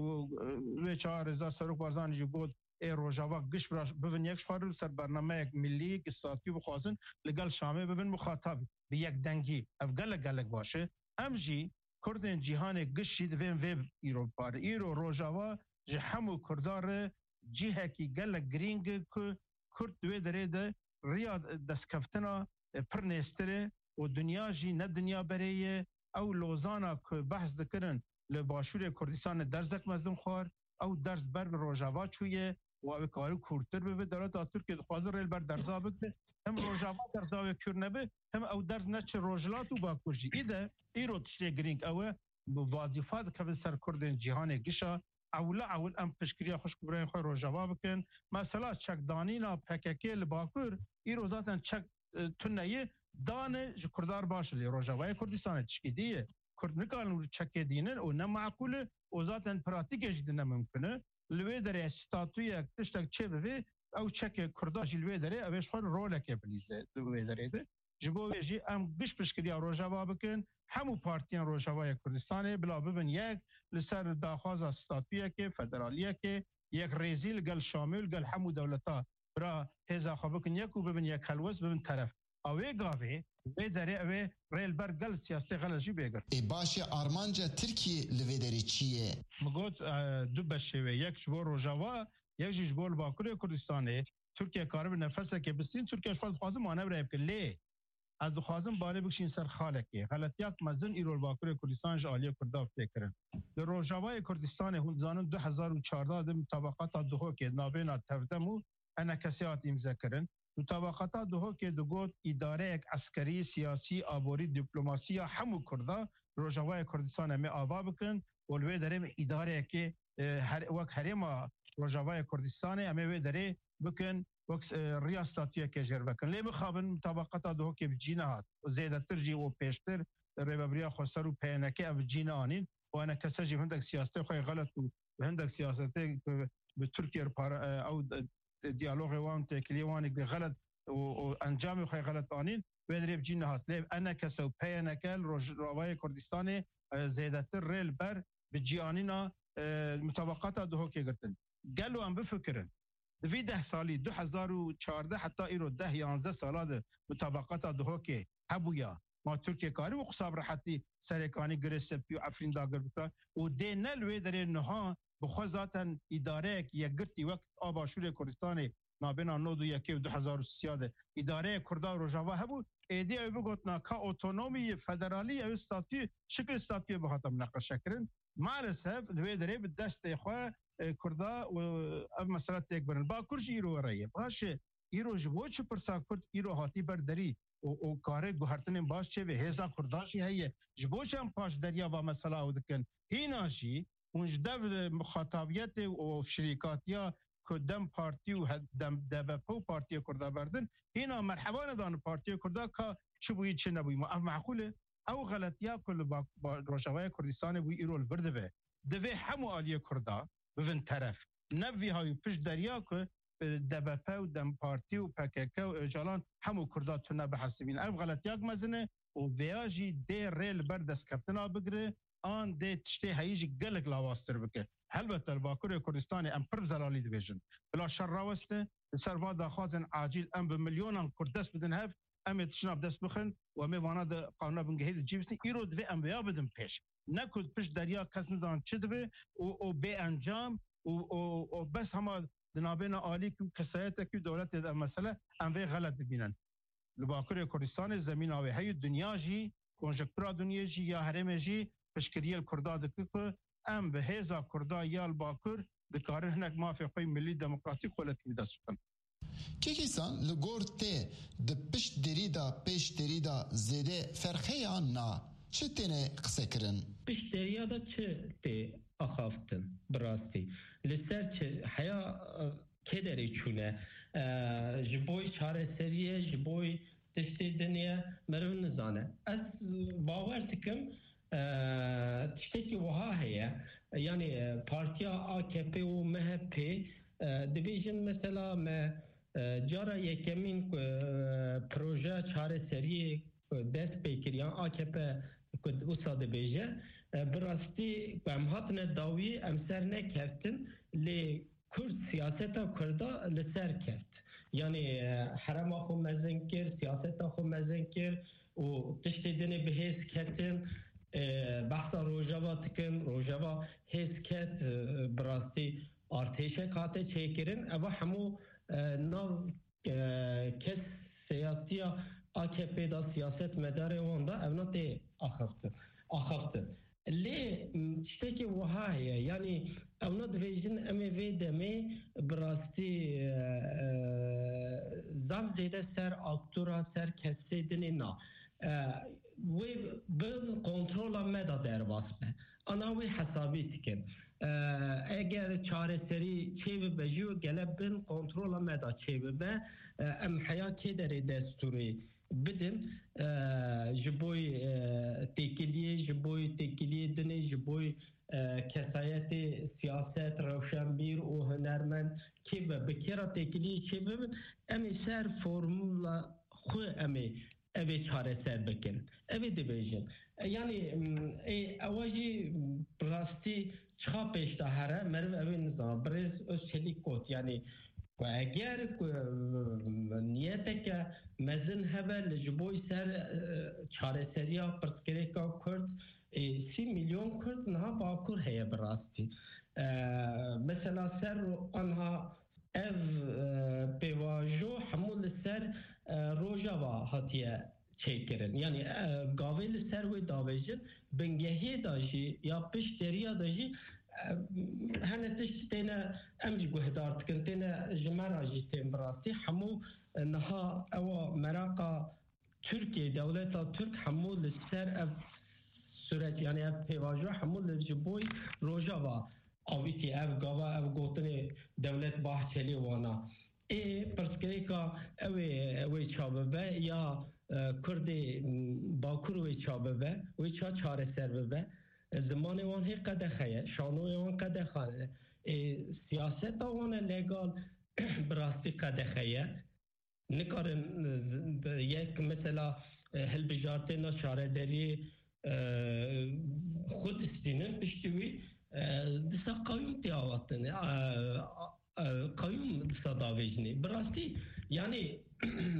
e, wê çawa rêzdar Serok Barzanî jî got, ê Rojava giş bira bibin yek ji xwe re li ser bernameyek milî, giş statû bixwazin, li gel Şamê bibin muxatab bi yekdengî. Ev gelek, gelek baş e. Em jî Kurdên cîhanê giş jî divên vê îro bipare. Îro Rojava ji hemû Kurdan re cihekî gelek girîng e ku Kurd di wê derê de riya destkeftina, e, pir nêztir e û dinya jî ne dinya berê ye. Ew Lozana ku behs dikirin li Başûrê Kurdistanê derzek mezin xwar, ew derz ber bi Rojava çûye û ew ê karî kûrtir bibe. Dewleta Tirkiye dixwaze rê li ber derza bike. Hem Rojava derza wê kûr nebe, hem ew derz neçe Rojhilat û Bakur jî. Îde îro tiştê girîng ew e, bi vazîfa dikevin ser Kurdên cîhanê gişa. Ewla ewil em piştgiriya xwişk û birayên xwe Rojava bikin. Mesela çekdanîna P K K li Bakur îro zaten çek, e, tune ye, dane ji Kurdar baş e, lê Rojavayê Kurdistanê tişkî dî ye. Kurd nikarin wî çekê dînin û ne meqûl e û zaten pratîkê jî di ne mimkun e. Li wê derê statuyek, tiştek çê bivê, ew çekê Kurda jî li wê derê, ew ê ji xwe rolekê bilîze di wê derê de. Ji bo vê jî em giş piştgiriya Rojava bikin, hemû partiyên Rojavayê Kurdistanê bila bibin yek li ser daxwaza statuyekê, federaliyekê, yekrêzî li gel Şamê û li gel hemû dewleta bira hêza xwe bikin yek û bibin yek helwest, bibin teref. A wê gavê, wê derê ew ê rê li ber gel siyasê xelal jî bê girt. Ê baş e, armanca Tirkiyê li vê derê çi ye? Min got, e, du beşê wê, yek ji bo Rojava, yek jî ji bo li Bakurê Kurdistanê. Tirkiye karibe nefesekê bistîn, Tirkiye ji xwe dixwaze manevrayê bike. Lê ez dixwazim balê bikişîn ser xalekê. Xeletiyak mezin îro li Bakurê Kurdistan ji aliyê Kurdan tê kirin. Li Rojavayê Kurdistanê hûn dizanin du hezar û çardeh de mutabaqata Duhokê navbêna Tevdem û E N K S hat îmze kirin. Mutabaqata Duhokê digot îdareyek eskerî, siyasî, aborî, dîplomasî ya hemû Kurda Rojavayê Kurdistanê em ê ava bikin û li wê derê em îdareyekê, e, her-, wek herêma Rojavayê Kurdistanê em ê wê derê bikin, wek, e, riya statuyeke jêr vekin. Lê mixabin mutabaqata Duhokê bi cî nehat. Zêdetir jî û pêştir Rêvebiriya Xweser û P Y N K ev bi cî neanîn û E N K S jî hindek siyasetê xwe xelet û hindek siyasetê bi, bi Tirkiye re para, e, ew, e, diyalogê wan, têkiliyê wan ê xelet û, û encamê xwe xelet anîn, wê derê bi cî nehat. Lê E N K S û P Y N K li Rojavayê Kurdistanê, e, zêdetir rê li ber bi cî anîna, e, mutabaqata Duhokê girtin. Gelo em bifikirin, di vî deh salî, du hezar û çardeh heta îro deh yanzdeh sala de mutabaqata Duhokê hebûya. Ma Tirkiye karî û qisa bi rehetî serê kanî Girê Sepî û Efrîn dagir bike û dê ne li wê derê niha bi xwe zaten îdareyek yekgirtî wek a Başûrê Kurdistanê nabêna nod û yekê û du hezar û sisiya de îdareyê Kurda û Rojava hebû, êdî ew bigotina ka otonomî, federalî, ew statû, şikil statûyê bihata mineqeşekirin. Maalesef li wê derê bi destê xwe, e, Kurda û ev mesele têk birin. Bakur jî îro were ye. Baş e, îro ji bo çi pirsa Kurd îro hatî ber derî û, û kare guhertinên baş çêbe? Hêza Kurda jî heye. Ji bo çi em paşderiya va mesela ew dikin? Hîna jî hûn ji dev, e, muxatabiyetê û şirîkatiya ku DEM Partî û he-, DEM, D B P û Partiyê Kurda berdin, hîna merheba nedan Partiyê Kurda ka çi bûyî çi nebûyî. Ma ev meqûl e? Ew xeletiya ku li ba-, ba-, Rojavayê Kurdistanê bûyî îro li vir dibe. Divê hemû aliyê Kurda bibin teref. Ne vî hayî pişt deriya ku, e, D B P û DEM Partî û P K K û Ocalan hemû Kurda tune bihesibîn. Ev xeletiyak mezin e û vêya jî dê rê li ber destkeftina bigire, an dê tiştê heyî jî gelek lawaztir bike. Helbet li Bakurê Kurdistanê em pir zelalî dibêjin. Bila şer raweste, li ser va daxwazên acîl em bi milyonan Kurd dest bidin hev, em ê tiştna bi dest bixin û em ê vana di qanûna bingehî de cî bisin. Îro divê em vêya bidin pêş. Ne ku pişt deriya kes nizanin çi dibe û, û bê encam û, û, û bes hema di navbêna alîkî û kesayetekî û dewletê de ev mesele em vê xelet dibînin. Li Bakurê Kurdistanê zemîna wê heye, dinya jî, konjektura dinyê jî ya herêmê jî piştgiriyê li Kurda dike ku em bi hêza Kurda ya li Bakur dikarin hinek mafê xwe yê milî demokratîk xwe li dest bixin. Kekîsan, li gor te di pişt derî de, pêş derî de zêde ferq heye an na? Çi têne qisekirin? Pişt deriya de çi tê axaftin? Bi rastî. Li ser çi heya, e, kê derê çûne? E, ji boy çareseriyê, ji boy tiştê dinê, meriv nizane. Ez bawer dikim, e, tiştekî wiha heye. Yanî, e, partiya A K P û M H P, e, dibêjin mesela me, e, cara yekemîn ku, e, projeya çareseriyê ku dest pê kir, yan A K P ku wisa dibêje, e, bi rastî ku em hatine dawî, em ser nekeftin, lê Kurd siyaseta Kurda li ser keft. Yanî, e, herema xwe mezin kir, siyaseta xwe mezin kir û tiştê dinê bi hêz ketin. E, behsa Rojava dikim, Rojava hêz ket, e, bi rastî artêşek hate çêkirin. Eva hemû, e, nav, e, kes siyasiya A K P da, siyasetmedarê wan da evna tê axaftin. Axaftin. Lê, m, tiştekî wiha heye, yanî evna dibêjin, em ê vê demê bi rastî, e, e, zaf zêde ser aktora, ser kesê dinê na. E, wê bin kontrola me da derbas be. Ana wê hesabî dikin. E, eger çareserî çêbibe jî, gele bin kontrola me da çêbibe. E, em heya kê derê destûrê bidin, e, ji boy, e, têkiliyê, ji boy têkiliyê dinê, ji boy, e, kesayetê siyaset, rewşenbîr û hunermend kê be, bi kê re têkiliyê çêbibin, em ê ser formula xwe em ê ev ê çareser bikin. Ev ê dibêjin. E, yanî, m, ê, ewa jî, m, rastî çiqa pêş de here, meriv ew ê nizana. Birêz Özçelik got, yanî, ku eger ku, m, niyeteke mezin hebe li ji bo ser, e, çareseriya pirsgirêka Kurd, e, sî milyon Kurd niha Bakur heye bi rastî. E, mesela ser ro-, anha ev, e, pêvajo hemû li ser, e, Rojava hatiye çêkirin. Yanî, e, gavê li ser wê davêjin, bingehê de jî ya pişt deriya de jî, e, hene tişt têne, em jî guhdar dikin, têne ji me re jî tên bi rastî. Hemû, e, niha ewa meraqa Tirkiyê, dewleta Tirk hemû li ser ev suret, yanî ev pêvajo hemû li ji boy Rojava avîtî, ev gava, ev gotinê dewlet Bahçelî wana. Ê pirsgirêka ew ê, ew ê ça bibe ya, e, Kurdê, m, Bakur wê ça bibe, wê ça çareser bibe. E, zimanê wan hê qedexe ye, şanoyê wan qedexe ye. Ê, siyaseta wan e legal bi rastî qedexe ye. Nikarin, e, yek mesela, e, hilbijartêna çaredariyê, e, xwe distînin, piştî wî, e, disa qayûm tê avatin. E, e, qayûm disa davêjinê. Bi rastî, yanî,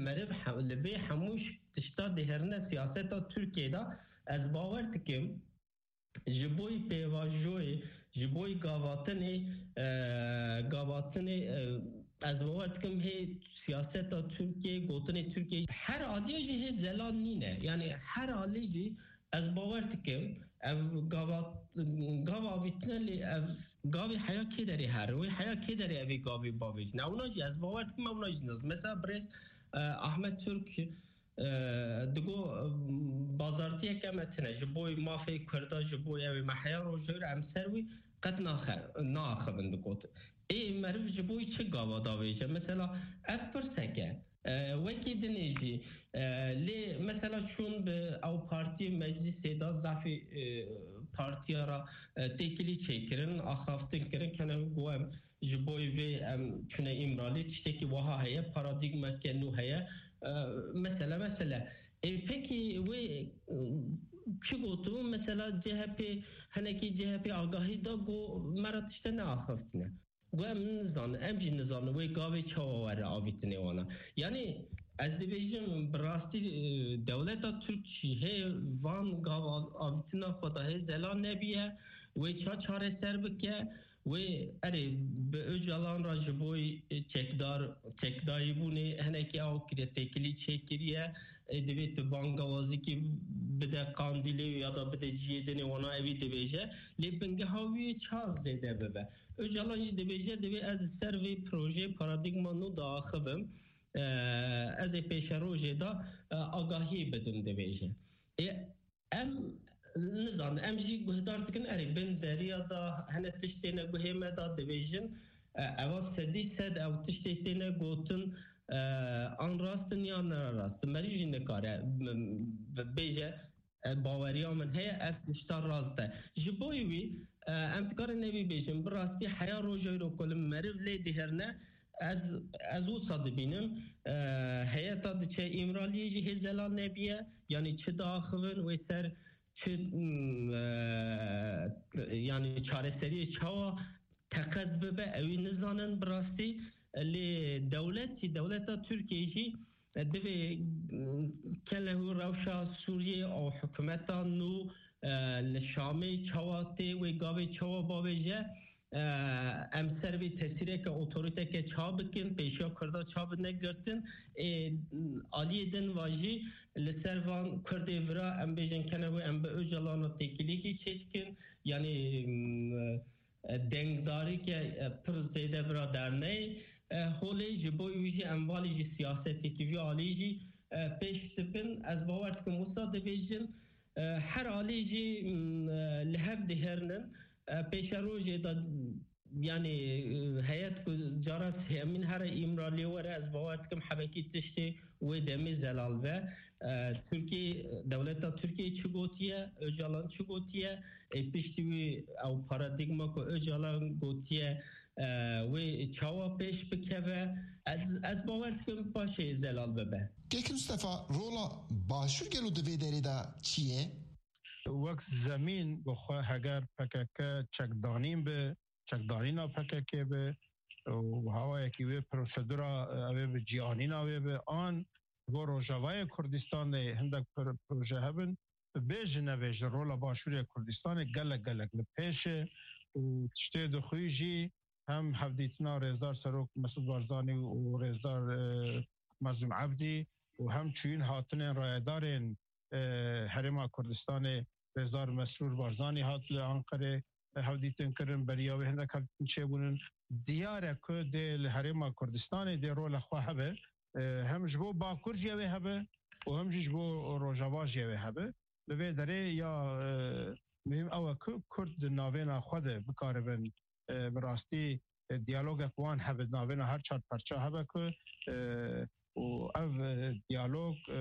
meriv he-, li vê hemû ş-, tişta diherine siyaseta Tirkiyê de ez bawer dikim, ji boy pêvajoyê, ji boy gavatinê, e, gavatinê, e, ez bawer dikim hê siyaseta Tirkiyê, gotinê Tirkiyê her aliyê jî hê zelal nîne. Yanî her alî jî ez bawer dikim ev gava, gava avîtine lê ev gavê heya kê derê here, wê heya kê derê evê gavê bavêjine. Ewna jî ez bawer dikim ewna jî nas. Mesela birêz, e, Ahmet Türk, e, digo, e, bazartiyeke me tine, ji boy mafê Kurda, ji boy ew ê me heya rojê re em ser wî qet naxe-, naaxivin digot. Ê meriv ji boy çi gava davêje? Mesela ev pirseke, e, wekî dinê jî, e, lê mesela çûn bi ew partiyê meclisê de zafî, e, partiya re, e, têkilî çêkirin, axaftin kirin, kene got em ji boy vê em çûne Îmralî, tiştekî wiha heye, paradîgmeke nû heye. E, mesele, mesele. Ê, pekî wê, e, çi gotibû? Mesela C H P, hinekî C H P agahî da, got, me re tişte neaxiftine. Got, em nizanin, em jî nizanin wê gavê çawa were avîtinê wana. Yanî ez dibêjim, bi rastî, e, dewleta Tirk jî hê van gav av-, avîtina xwe da hê zelal nebiye, wê ça çareser bike. Wê erê bi Ocalan re ji bo çekdar, çekdayîbûnê hinekî ew kire têkilî çêkiriye. Ê, divê tu bangawazîkî bide Qandîlê ya da bide cihê dinê wana evî dibêje. Lê bingeha wî ça zêde bibe. Ocalan jî dibêje, divê ez li ser vê projeyê paradîgma nû diaxivim. Ee, ez ê pêşerojê de, e, agahiyê bidim dibêje. Ê, Em nizanin, em jî guhdar dikin, erê bin deriya da hene tiştê ne guhê me da dibêjin, e, eva sedî sed ew tiştê têne gotin, e, an rast in ya ne rast in. Merî jî nikare, m, m, bêje, e, baweriya min heye, ev tişta rast e. Ji boyî wî, e, em dikarin nevî bêjin, bi rastî heya roja îro ku li meriv lê diherine, Ez, ez wisa dibînim, e, heyeta diçe Îmraliyê jî hê zelal nebiye, yanî çi diaxivin wê ser çi, m, e, yanî çareseriyê çawa teqez bibe, ewî nizanin bi rastî. Lê dewletî, dewleta Tirkiyê jî, e, divê, m, kelehu rewşa Sûriyê û hikûmeta nû e, li Şamê çawa tê, wê gavê çawa bavêje, e, em ser vê tesîreke otoriteke ça bikin, pêşiya Kurda ça bine girtin. Ê, aliyê din va jî li ser van Kurdê vira em bêjin kene wê em bi Ocalan re têkilîkî çêdikin. Yanî, m, e, dengdarîke, e, pir zêde vira derneyê. E, holê ji bo wî jî em valî jî siyasetekî vî alî jî, e, pêş dibin. Ez bawer dikim wisa dibêjin, e, her alî jî, m, e, li hev dihêrinin. E, pêşerojê de, yanî, e, heyet ku cara sêyemîn here Îmraliyê were, ez bawer dikim hebekî tiştê wê demê zelal be. E, Tirkiye, dewleta Tirkiye çi gotiye, Ocalan çi gotiye, ê piştî wî ew paradîgma ku Ocalan gotiye, e, wê çawa pêş bikeve, ez, ez bawer dikim paşê zelal bibe. Kek Mustafa, rola Başûr gelo di vê derê de çi ye? Wek zemîn bi xwe heger P K K çekdanîn bi, çekdanîna P K K bi û hawayekî wê prosedura, e, ew ê bi cîanîna wê bi, an ji bo Rojavayê Kurdistanê hindek pro-, proje hebin, bêjin nebêjin, rola Başûrê Kurdistanê gelek, gelek li pêş e û tiştê dixwî jî hem hevdîtina Rêzdar Serok Mesûd Barzanî û Rêzdar, e, Mezlûm Ebdî û hem çûyîn hatinên rayedarên, e, Herêma Kurdistanê, Rêzdar Mesrûr Barzanî hat li Anqerê, e, hevdîtin kirin, beriya wê hindek hevdîtin çêbûnin. Diyar e ku dê li Herêma Kurdistanê dê rola xwe hebe, e, hem ji bo Bakur jî ew ê hebe û hem jî ji bo Rojava jî ew ê hebe. Li vê derê ya, e, muhîm ew e ku Kurd di navêna xwe de bikaribin, e, bi rastî, e, diyalogek wan hebe, navêna her çar parça hebe ku, e, û ev, e, diyalog, e,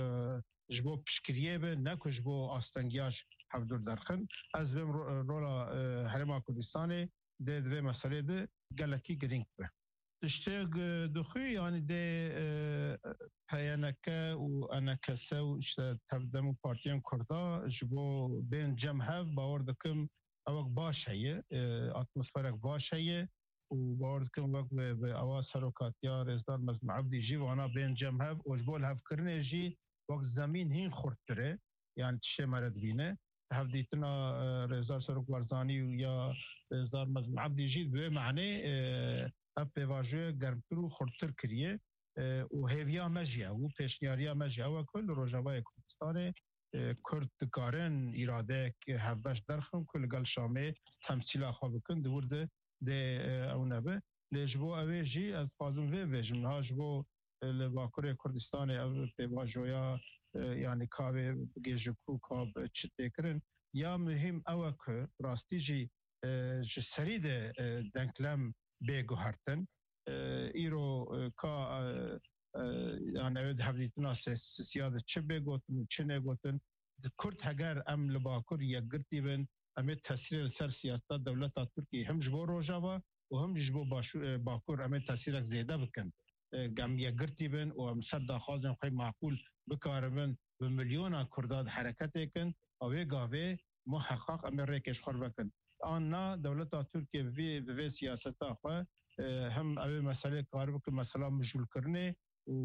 ji bo piştgiriyê be, ne ku ji bo astengiya ji hevdûr derxin. Ez vêm ro-, rola, e, Herêma Kurdistanê dê di vê meselê de gelekî girîng be. Tiştê, e, dixwî, yanî dê, e, P Y N K û E N K S û işte tev dem û partiyên Kurda ji bo bên cem hev, bawer dikim ewek baş heye, e, atmosferek baş heye û bawer dikim wek bi, bi ewa serokatiya Rêzdar Mezlûm Ebdî jî vana bên cem hev û ji bo lihevkirinê jî wek zemîn hîn xurttir e, yanî tiştê me re dibîne. Hevdîtina, e, Rêzdar Serok Barzanî û ya Rêzdar Mezlûm Ebdî jî bi wê manê, e, ev pêvajoya germtir û xurttir kiriye, e, û hêviya me jî ew û pêşniyariya me jî ew e ku li Rojavayê Kurdistanê, e, Kurd dikarin îradeyek hevbeş derxin ku li gel Şamê temsîla xwe bikin, di wir de dê, e, ew nebe. Lê ji bo ew ê jî ez dixwazim vê bêjim, niha ji bo, e, li Bakurê Kurdistanê ev pêvajoya, e, yanî ka wê bigihêje ku ka bi çi tê kirin, ya muhîm ew e ku rastî jî, e, ji serî de, e, denklem bê guhertin. E, îro, e, ka, e, e, yanî ew ê di hevdîtina sêsisiya de çi bê gotin û çi nê gotin. Di Kurd heger em li Bakur yekgirtî bin, em ê tesîrê li ser siyaseta dewleta Tirkiyê him ji bo Rojava û him jî ji bo Başû-, e, Bakur em ê tesîrek zêde bikin. E, em yekgirtî bin û em ser daxwazên xwe maqûl bikaribin bi milyona Kurda di hereketê kin, a wê gavê muheqaq em ê rêkê ji xwe vekin. An na dewleta Tirkiye bi vê, bi vê siyaseta xwe, e, hem ew ê meselê karibe ku mesela mijûlkirinê û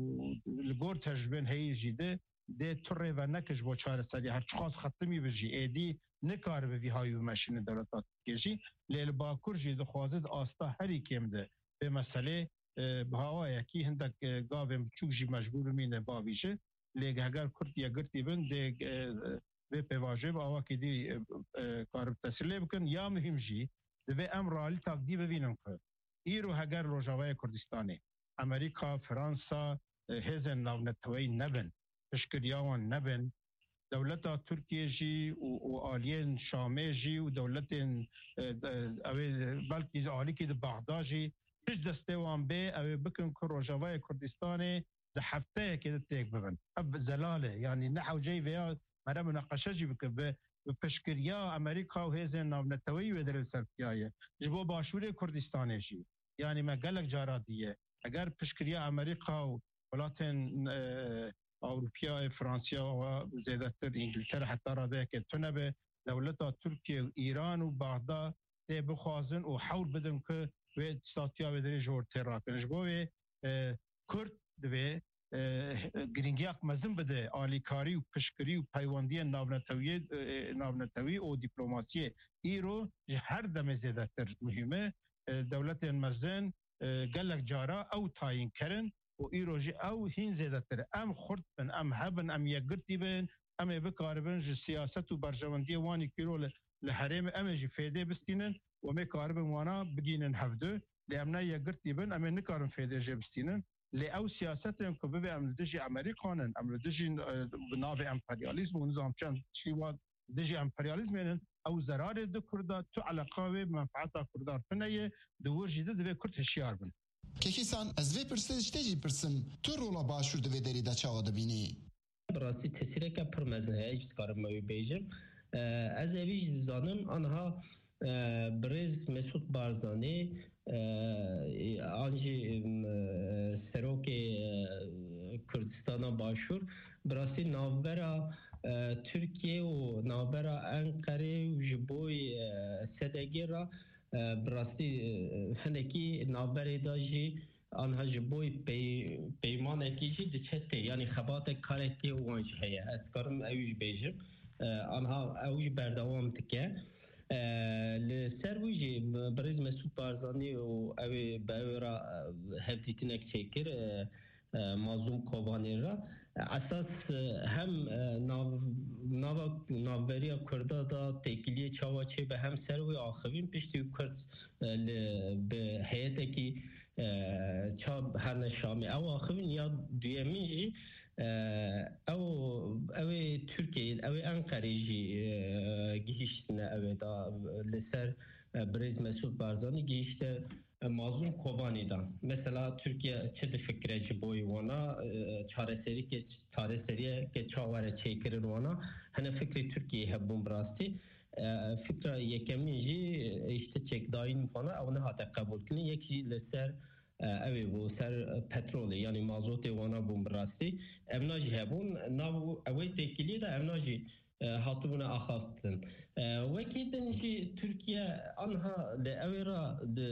li gor tecrûbên heyî jî de dê tu rê veneke ji bo çareserî, her çiqas xetimî bi jî êdî nikaribe vî hayî bimeşîne dewleta Tirkiye jî. Lê li Bakur jî dixwaze di asta herî kêm de vê meselê, e, bi hawayekî hindek, e, gavên biçûk jî mecbûr bimîne bavîje. Lê heger Kurd yekgirtî bin, dê, e, vê pêvajoyê bi awakî dî, e, e, karib tesîr lê bikin. Ya muhîm jî, divê em realîtak dî bibînin ku îro heger Rojavayê Kurdistanê, Amerîka, Fransa, e, hêzên navneteweyî nebin, piştgiriya wan nebin, dewleta Tirkiye jî û, û aliyên Şamê jî û dewletên, e, de, ew ê belkî alîkî di Bexda jî tişt destê wan bê, ew ê bikin ku Rojavayê Kurdistanê di hefteyekê de têk bibin. Ev zelal e. Yanî ne hewceyî vêya mere munaqeşe jî bike. Bi, bi piştgiriya Amerîka û hêzên navneteweyî wê derê li ser piyaye. Ji bo Başûrê Kurdistanê jî. Yanî me gelek cara diye. Eger piştgiriya Amerîka û welatên, e, Ewropiya, Fransiya û zêdetir Îngiltere heta radeyeke tune be, dewleta Tirkiye û Îran û Baxda tê bixwazin û hewl bidin ku wê statuya wê derê ji ortê rakin. Ji bo wê, e, Kurd divê e, girîngiyek mezin bide alîkarî û piştgirî û peywendiyên navnetewiyê, e, navnetewî û dîplomasiyê. Îro ji her demê zêdetir muhîm e. E, dewletên mezin, e, gelek cara ew tayînker in û îro jî ew hîn zêdetir e. Em xurt bin, em hebin, em yekgirtî bin, em ê bikaribin ji siyaset û berjewendiyê wan ê kîro li, li herêmê em ê jî fêdê bistînin û em ê karibin wana bigînin hevdu. Lê em ne yekgirtî bin, em ê nikarin fêdê jê bistînin. Lê ew siyasetên ku bibê em li dijî Amerîkan in, em li dijî, e, bi navê emperyalîzm û nizam çend tiştî wan dijî emperyalîzmê in, ew zerarê di Kurda, tu eleqa wê bi menfeeta Kurdan tune ye, di wir jî de divê Kurd hişyar bin. Kekîsan, ez vê pirsê ji te jî pirsim, tu rola Başûr di vê derê de çawa dibînî? Bi rastî tesîreke pir mezin heye, ez dikarim me wî bêjim. E, ez evî jî dizanim, anha, e, birêz Mesûd Barzanî, e, an jî, em, e, serokê, e, Kurdistana Başûr, bi rastî navbera, e, Tirkiye û navbera Enqerê û ji bo, e, S D G re, e, bi rastî, e, hinekî navberê de jî anha ji bo pey-, peymanekî jî diçe tê. Yanî xebatek karekê wan jî heye. Ez dikarim ew jî bêjim. E, anha ew jî berdewam dike. E, li ser wî jî birêz Mesûd Barzanî û ew ê bi ew ê re, e, hevdîtinek çêkir, e, e, Mazlûm Kobanî re. Esas, e, hem, e, nav-, nava, navberiya Kurda da têkiliyê çawa çêbe hem ser wê axivîn piştî Kurd, e, li, bi heyetekî, e, ça herne Şamê. Ew axivîn ya duyemîn jî, e, ew, ew ê Tirkiyeyê, ew ê Enqerê jî, e, gihîştine ew ê da li ser, e, birêz Mesûd Barzanî gihîşte, e, Mazlûm Kobanî da. Mesela Tirkiye çi difikire ji bo wana, e, çareserîke, çareseriyeke çawa were çêkirin wana? Hene fikrê Tirkiyeyê hebûn bi rastî. E, fikra yekemîn jî, e, işte çekdayîn wana ew nehate qebûlkirin. Yek jî li ser, e, ew ê bû, ser, e, petrolê, yanî mazotê wana bûn bi rastî. Evna jî hebûn, nav ew ê têkiliyê de evna jî e, hatibûne axaftin. E, wekî din jî Tirkiye anha li ew ê re di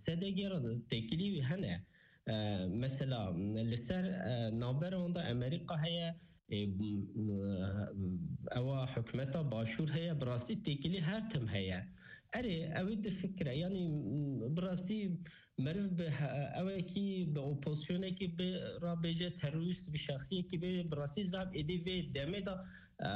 S D G re têkilî wî hene. E, mesela li ser, e, navbera wan de Amerîka heye, e, m-, m-, ewa hikûmeta Başûr heye, bi rastî têkilî her tim heye. Erê, ew ê difikire, yanî, m-, bi rastî meriv bi he-, ewekî, bi opozisyonekî bi rabêje terorîst, bi şexsiyekî bê, bi rastî zaf êdî vê demê de, e,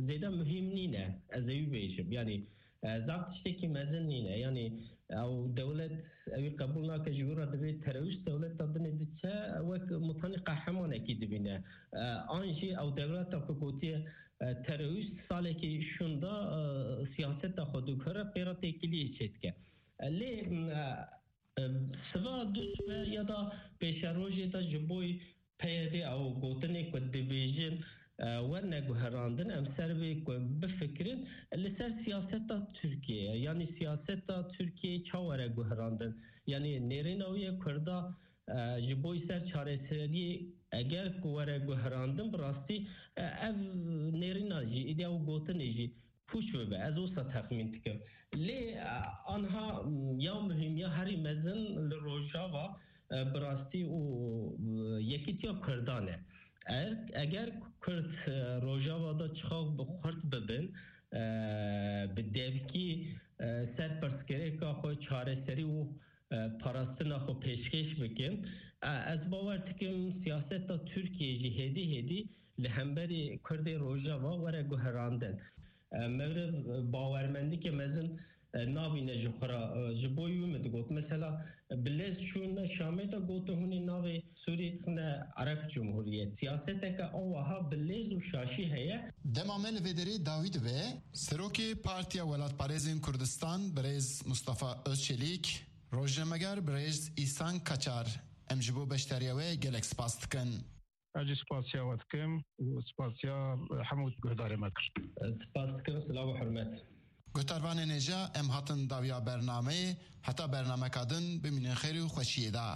zêde muhîm nîne, ez ê wî bêjim. Yanî, e, zaf tiştekî mezin nîne. Yanî, ew dewlet, ewî qebûl nake, ji wî re divê terorîst dewleta dinê diçe, wek mutanî qehremanekî dibîne. E, an jî ew dewleta ku gotiye, e, terorîst salekî şûnda, e, siyaseta xwe diguhere, pê re têkiliyê çêdike. E, lê, e, Em, siva duşme ya da pêşerojê de ji bo P Y D ew gotinê ku dibêjin, e, werne guherandin, em ser vê ku bifikirin, li ser siyaseta Tirkiyeyê, yanî siyaseta Tirkiyeyê ça were guherandin? Yanî nêrîna wê ye Kurda, e, ji bo ser çareseriyê eger ku were guherandin, bi rastî, e, ev nêrîna jî, îdî ew gotinê jî pûç bibe. Ez wisa texmîn dikim. Lê, e, anha, m, ya muhîm ya herî mezin li Rojava, e, bi rastî û, e, yekîtiya Kurdan e. Er, eger Kurd, e, Rojava de çixak bi xurt bibin, e, bi devkî, e, ser pirsgirêka xwe çareserî û e, parastina xwe pêşkêş bikin. E, ez bawer dikim siyaseta Tirkiyê jî hêdî hêdî li hemberî Kurdê Rojava were guherandin. E, mewrid, e, bawermendîke mezin, e, nabîne ji xwe re. E, ji bo wî min digot. Mesela, e, bi lez çûne Şamê de gotin hûn ê navê Sûrî dixine Ereb Cumhuriyet. Siyaseteke awaha bi lez û şaşî heye. Dema me li vê derê dawî dibe. Serokê Partiya Welatparêzên Kurdistan, birêz Mustafa Özçelîk, Rojnameger birêz Îhsan Kaçar, em ji bo beşdariya we gelek spas dikin. Ez jî spasiya we dikim û spasiya hemû guhdarê me kir. Spas dikim, silav û hurmet. Guhdarvanên hêja, em hatin dawiya bernameyê, heta bernameka din bimînin xêr û xweşiyê de.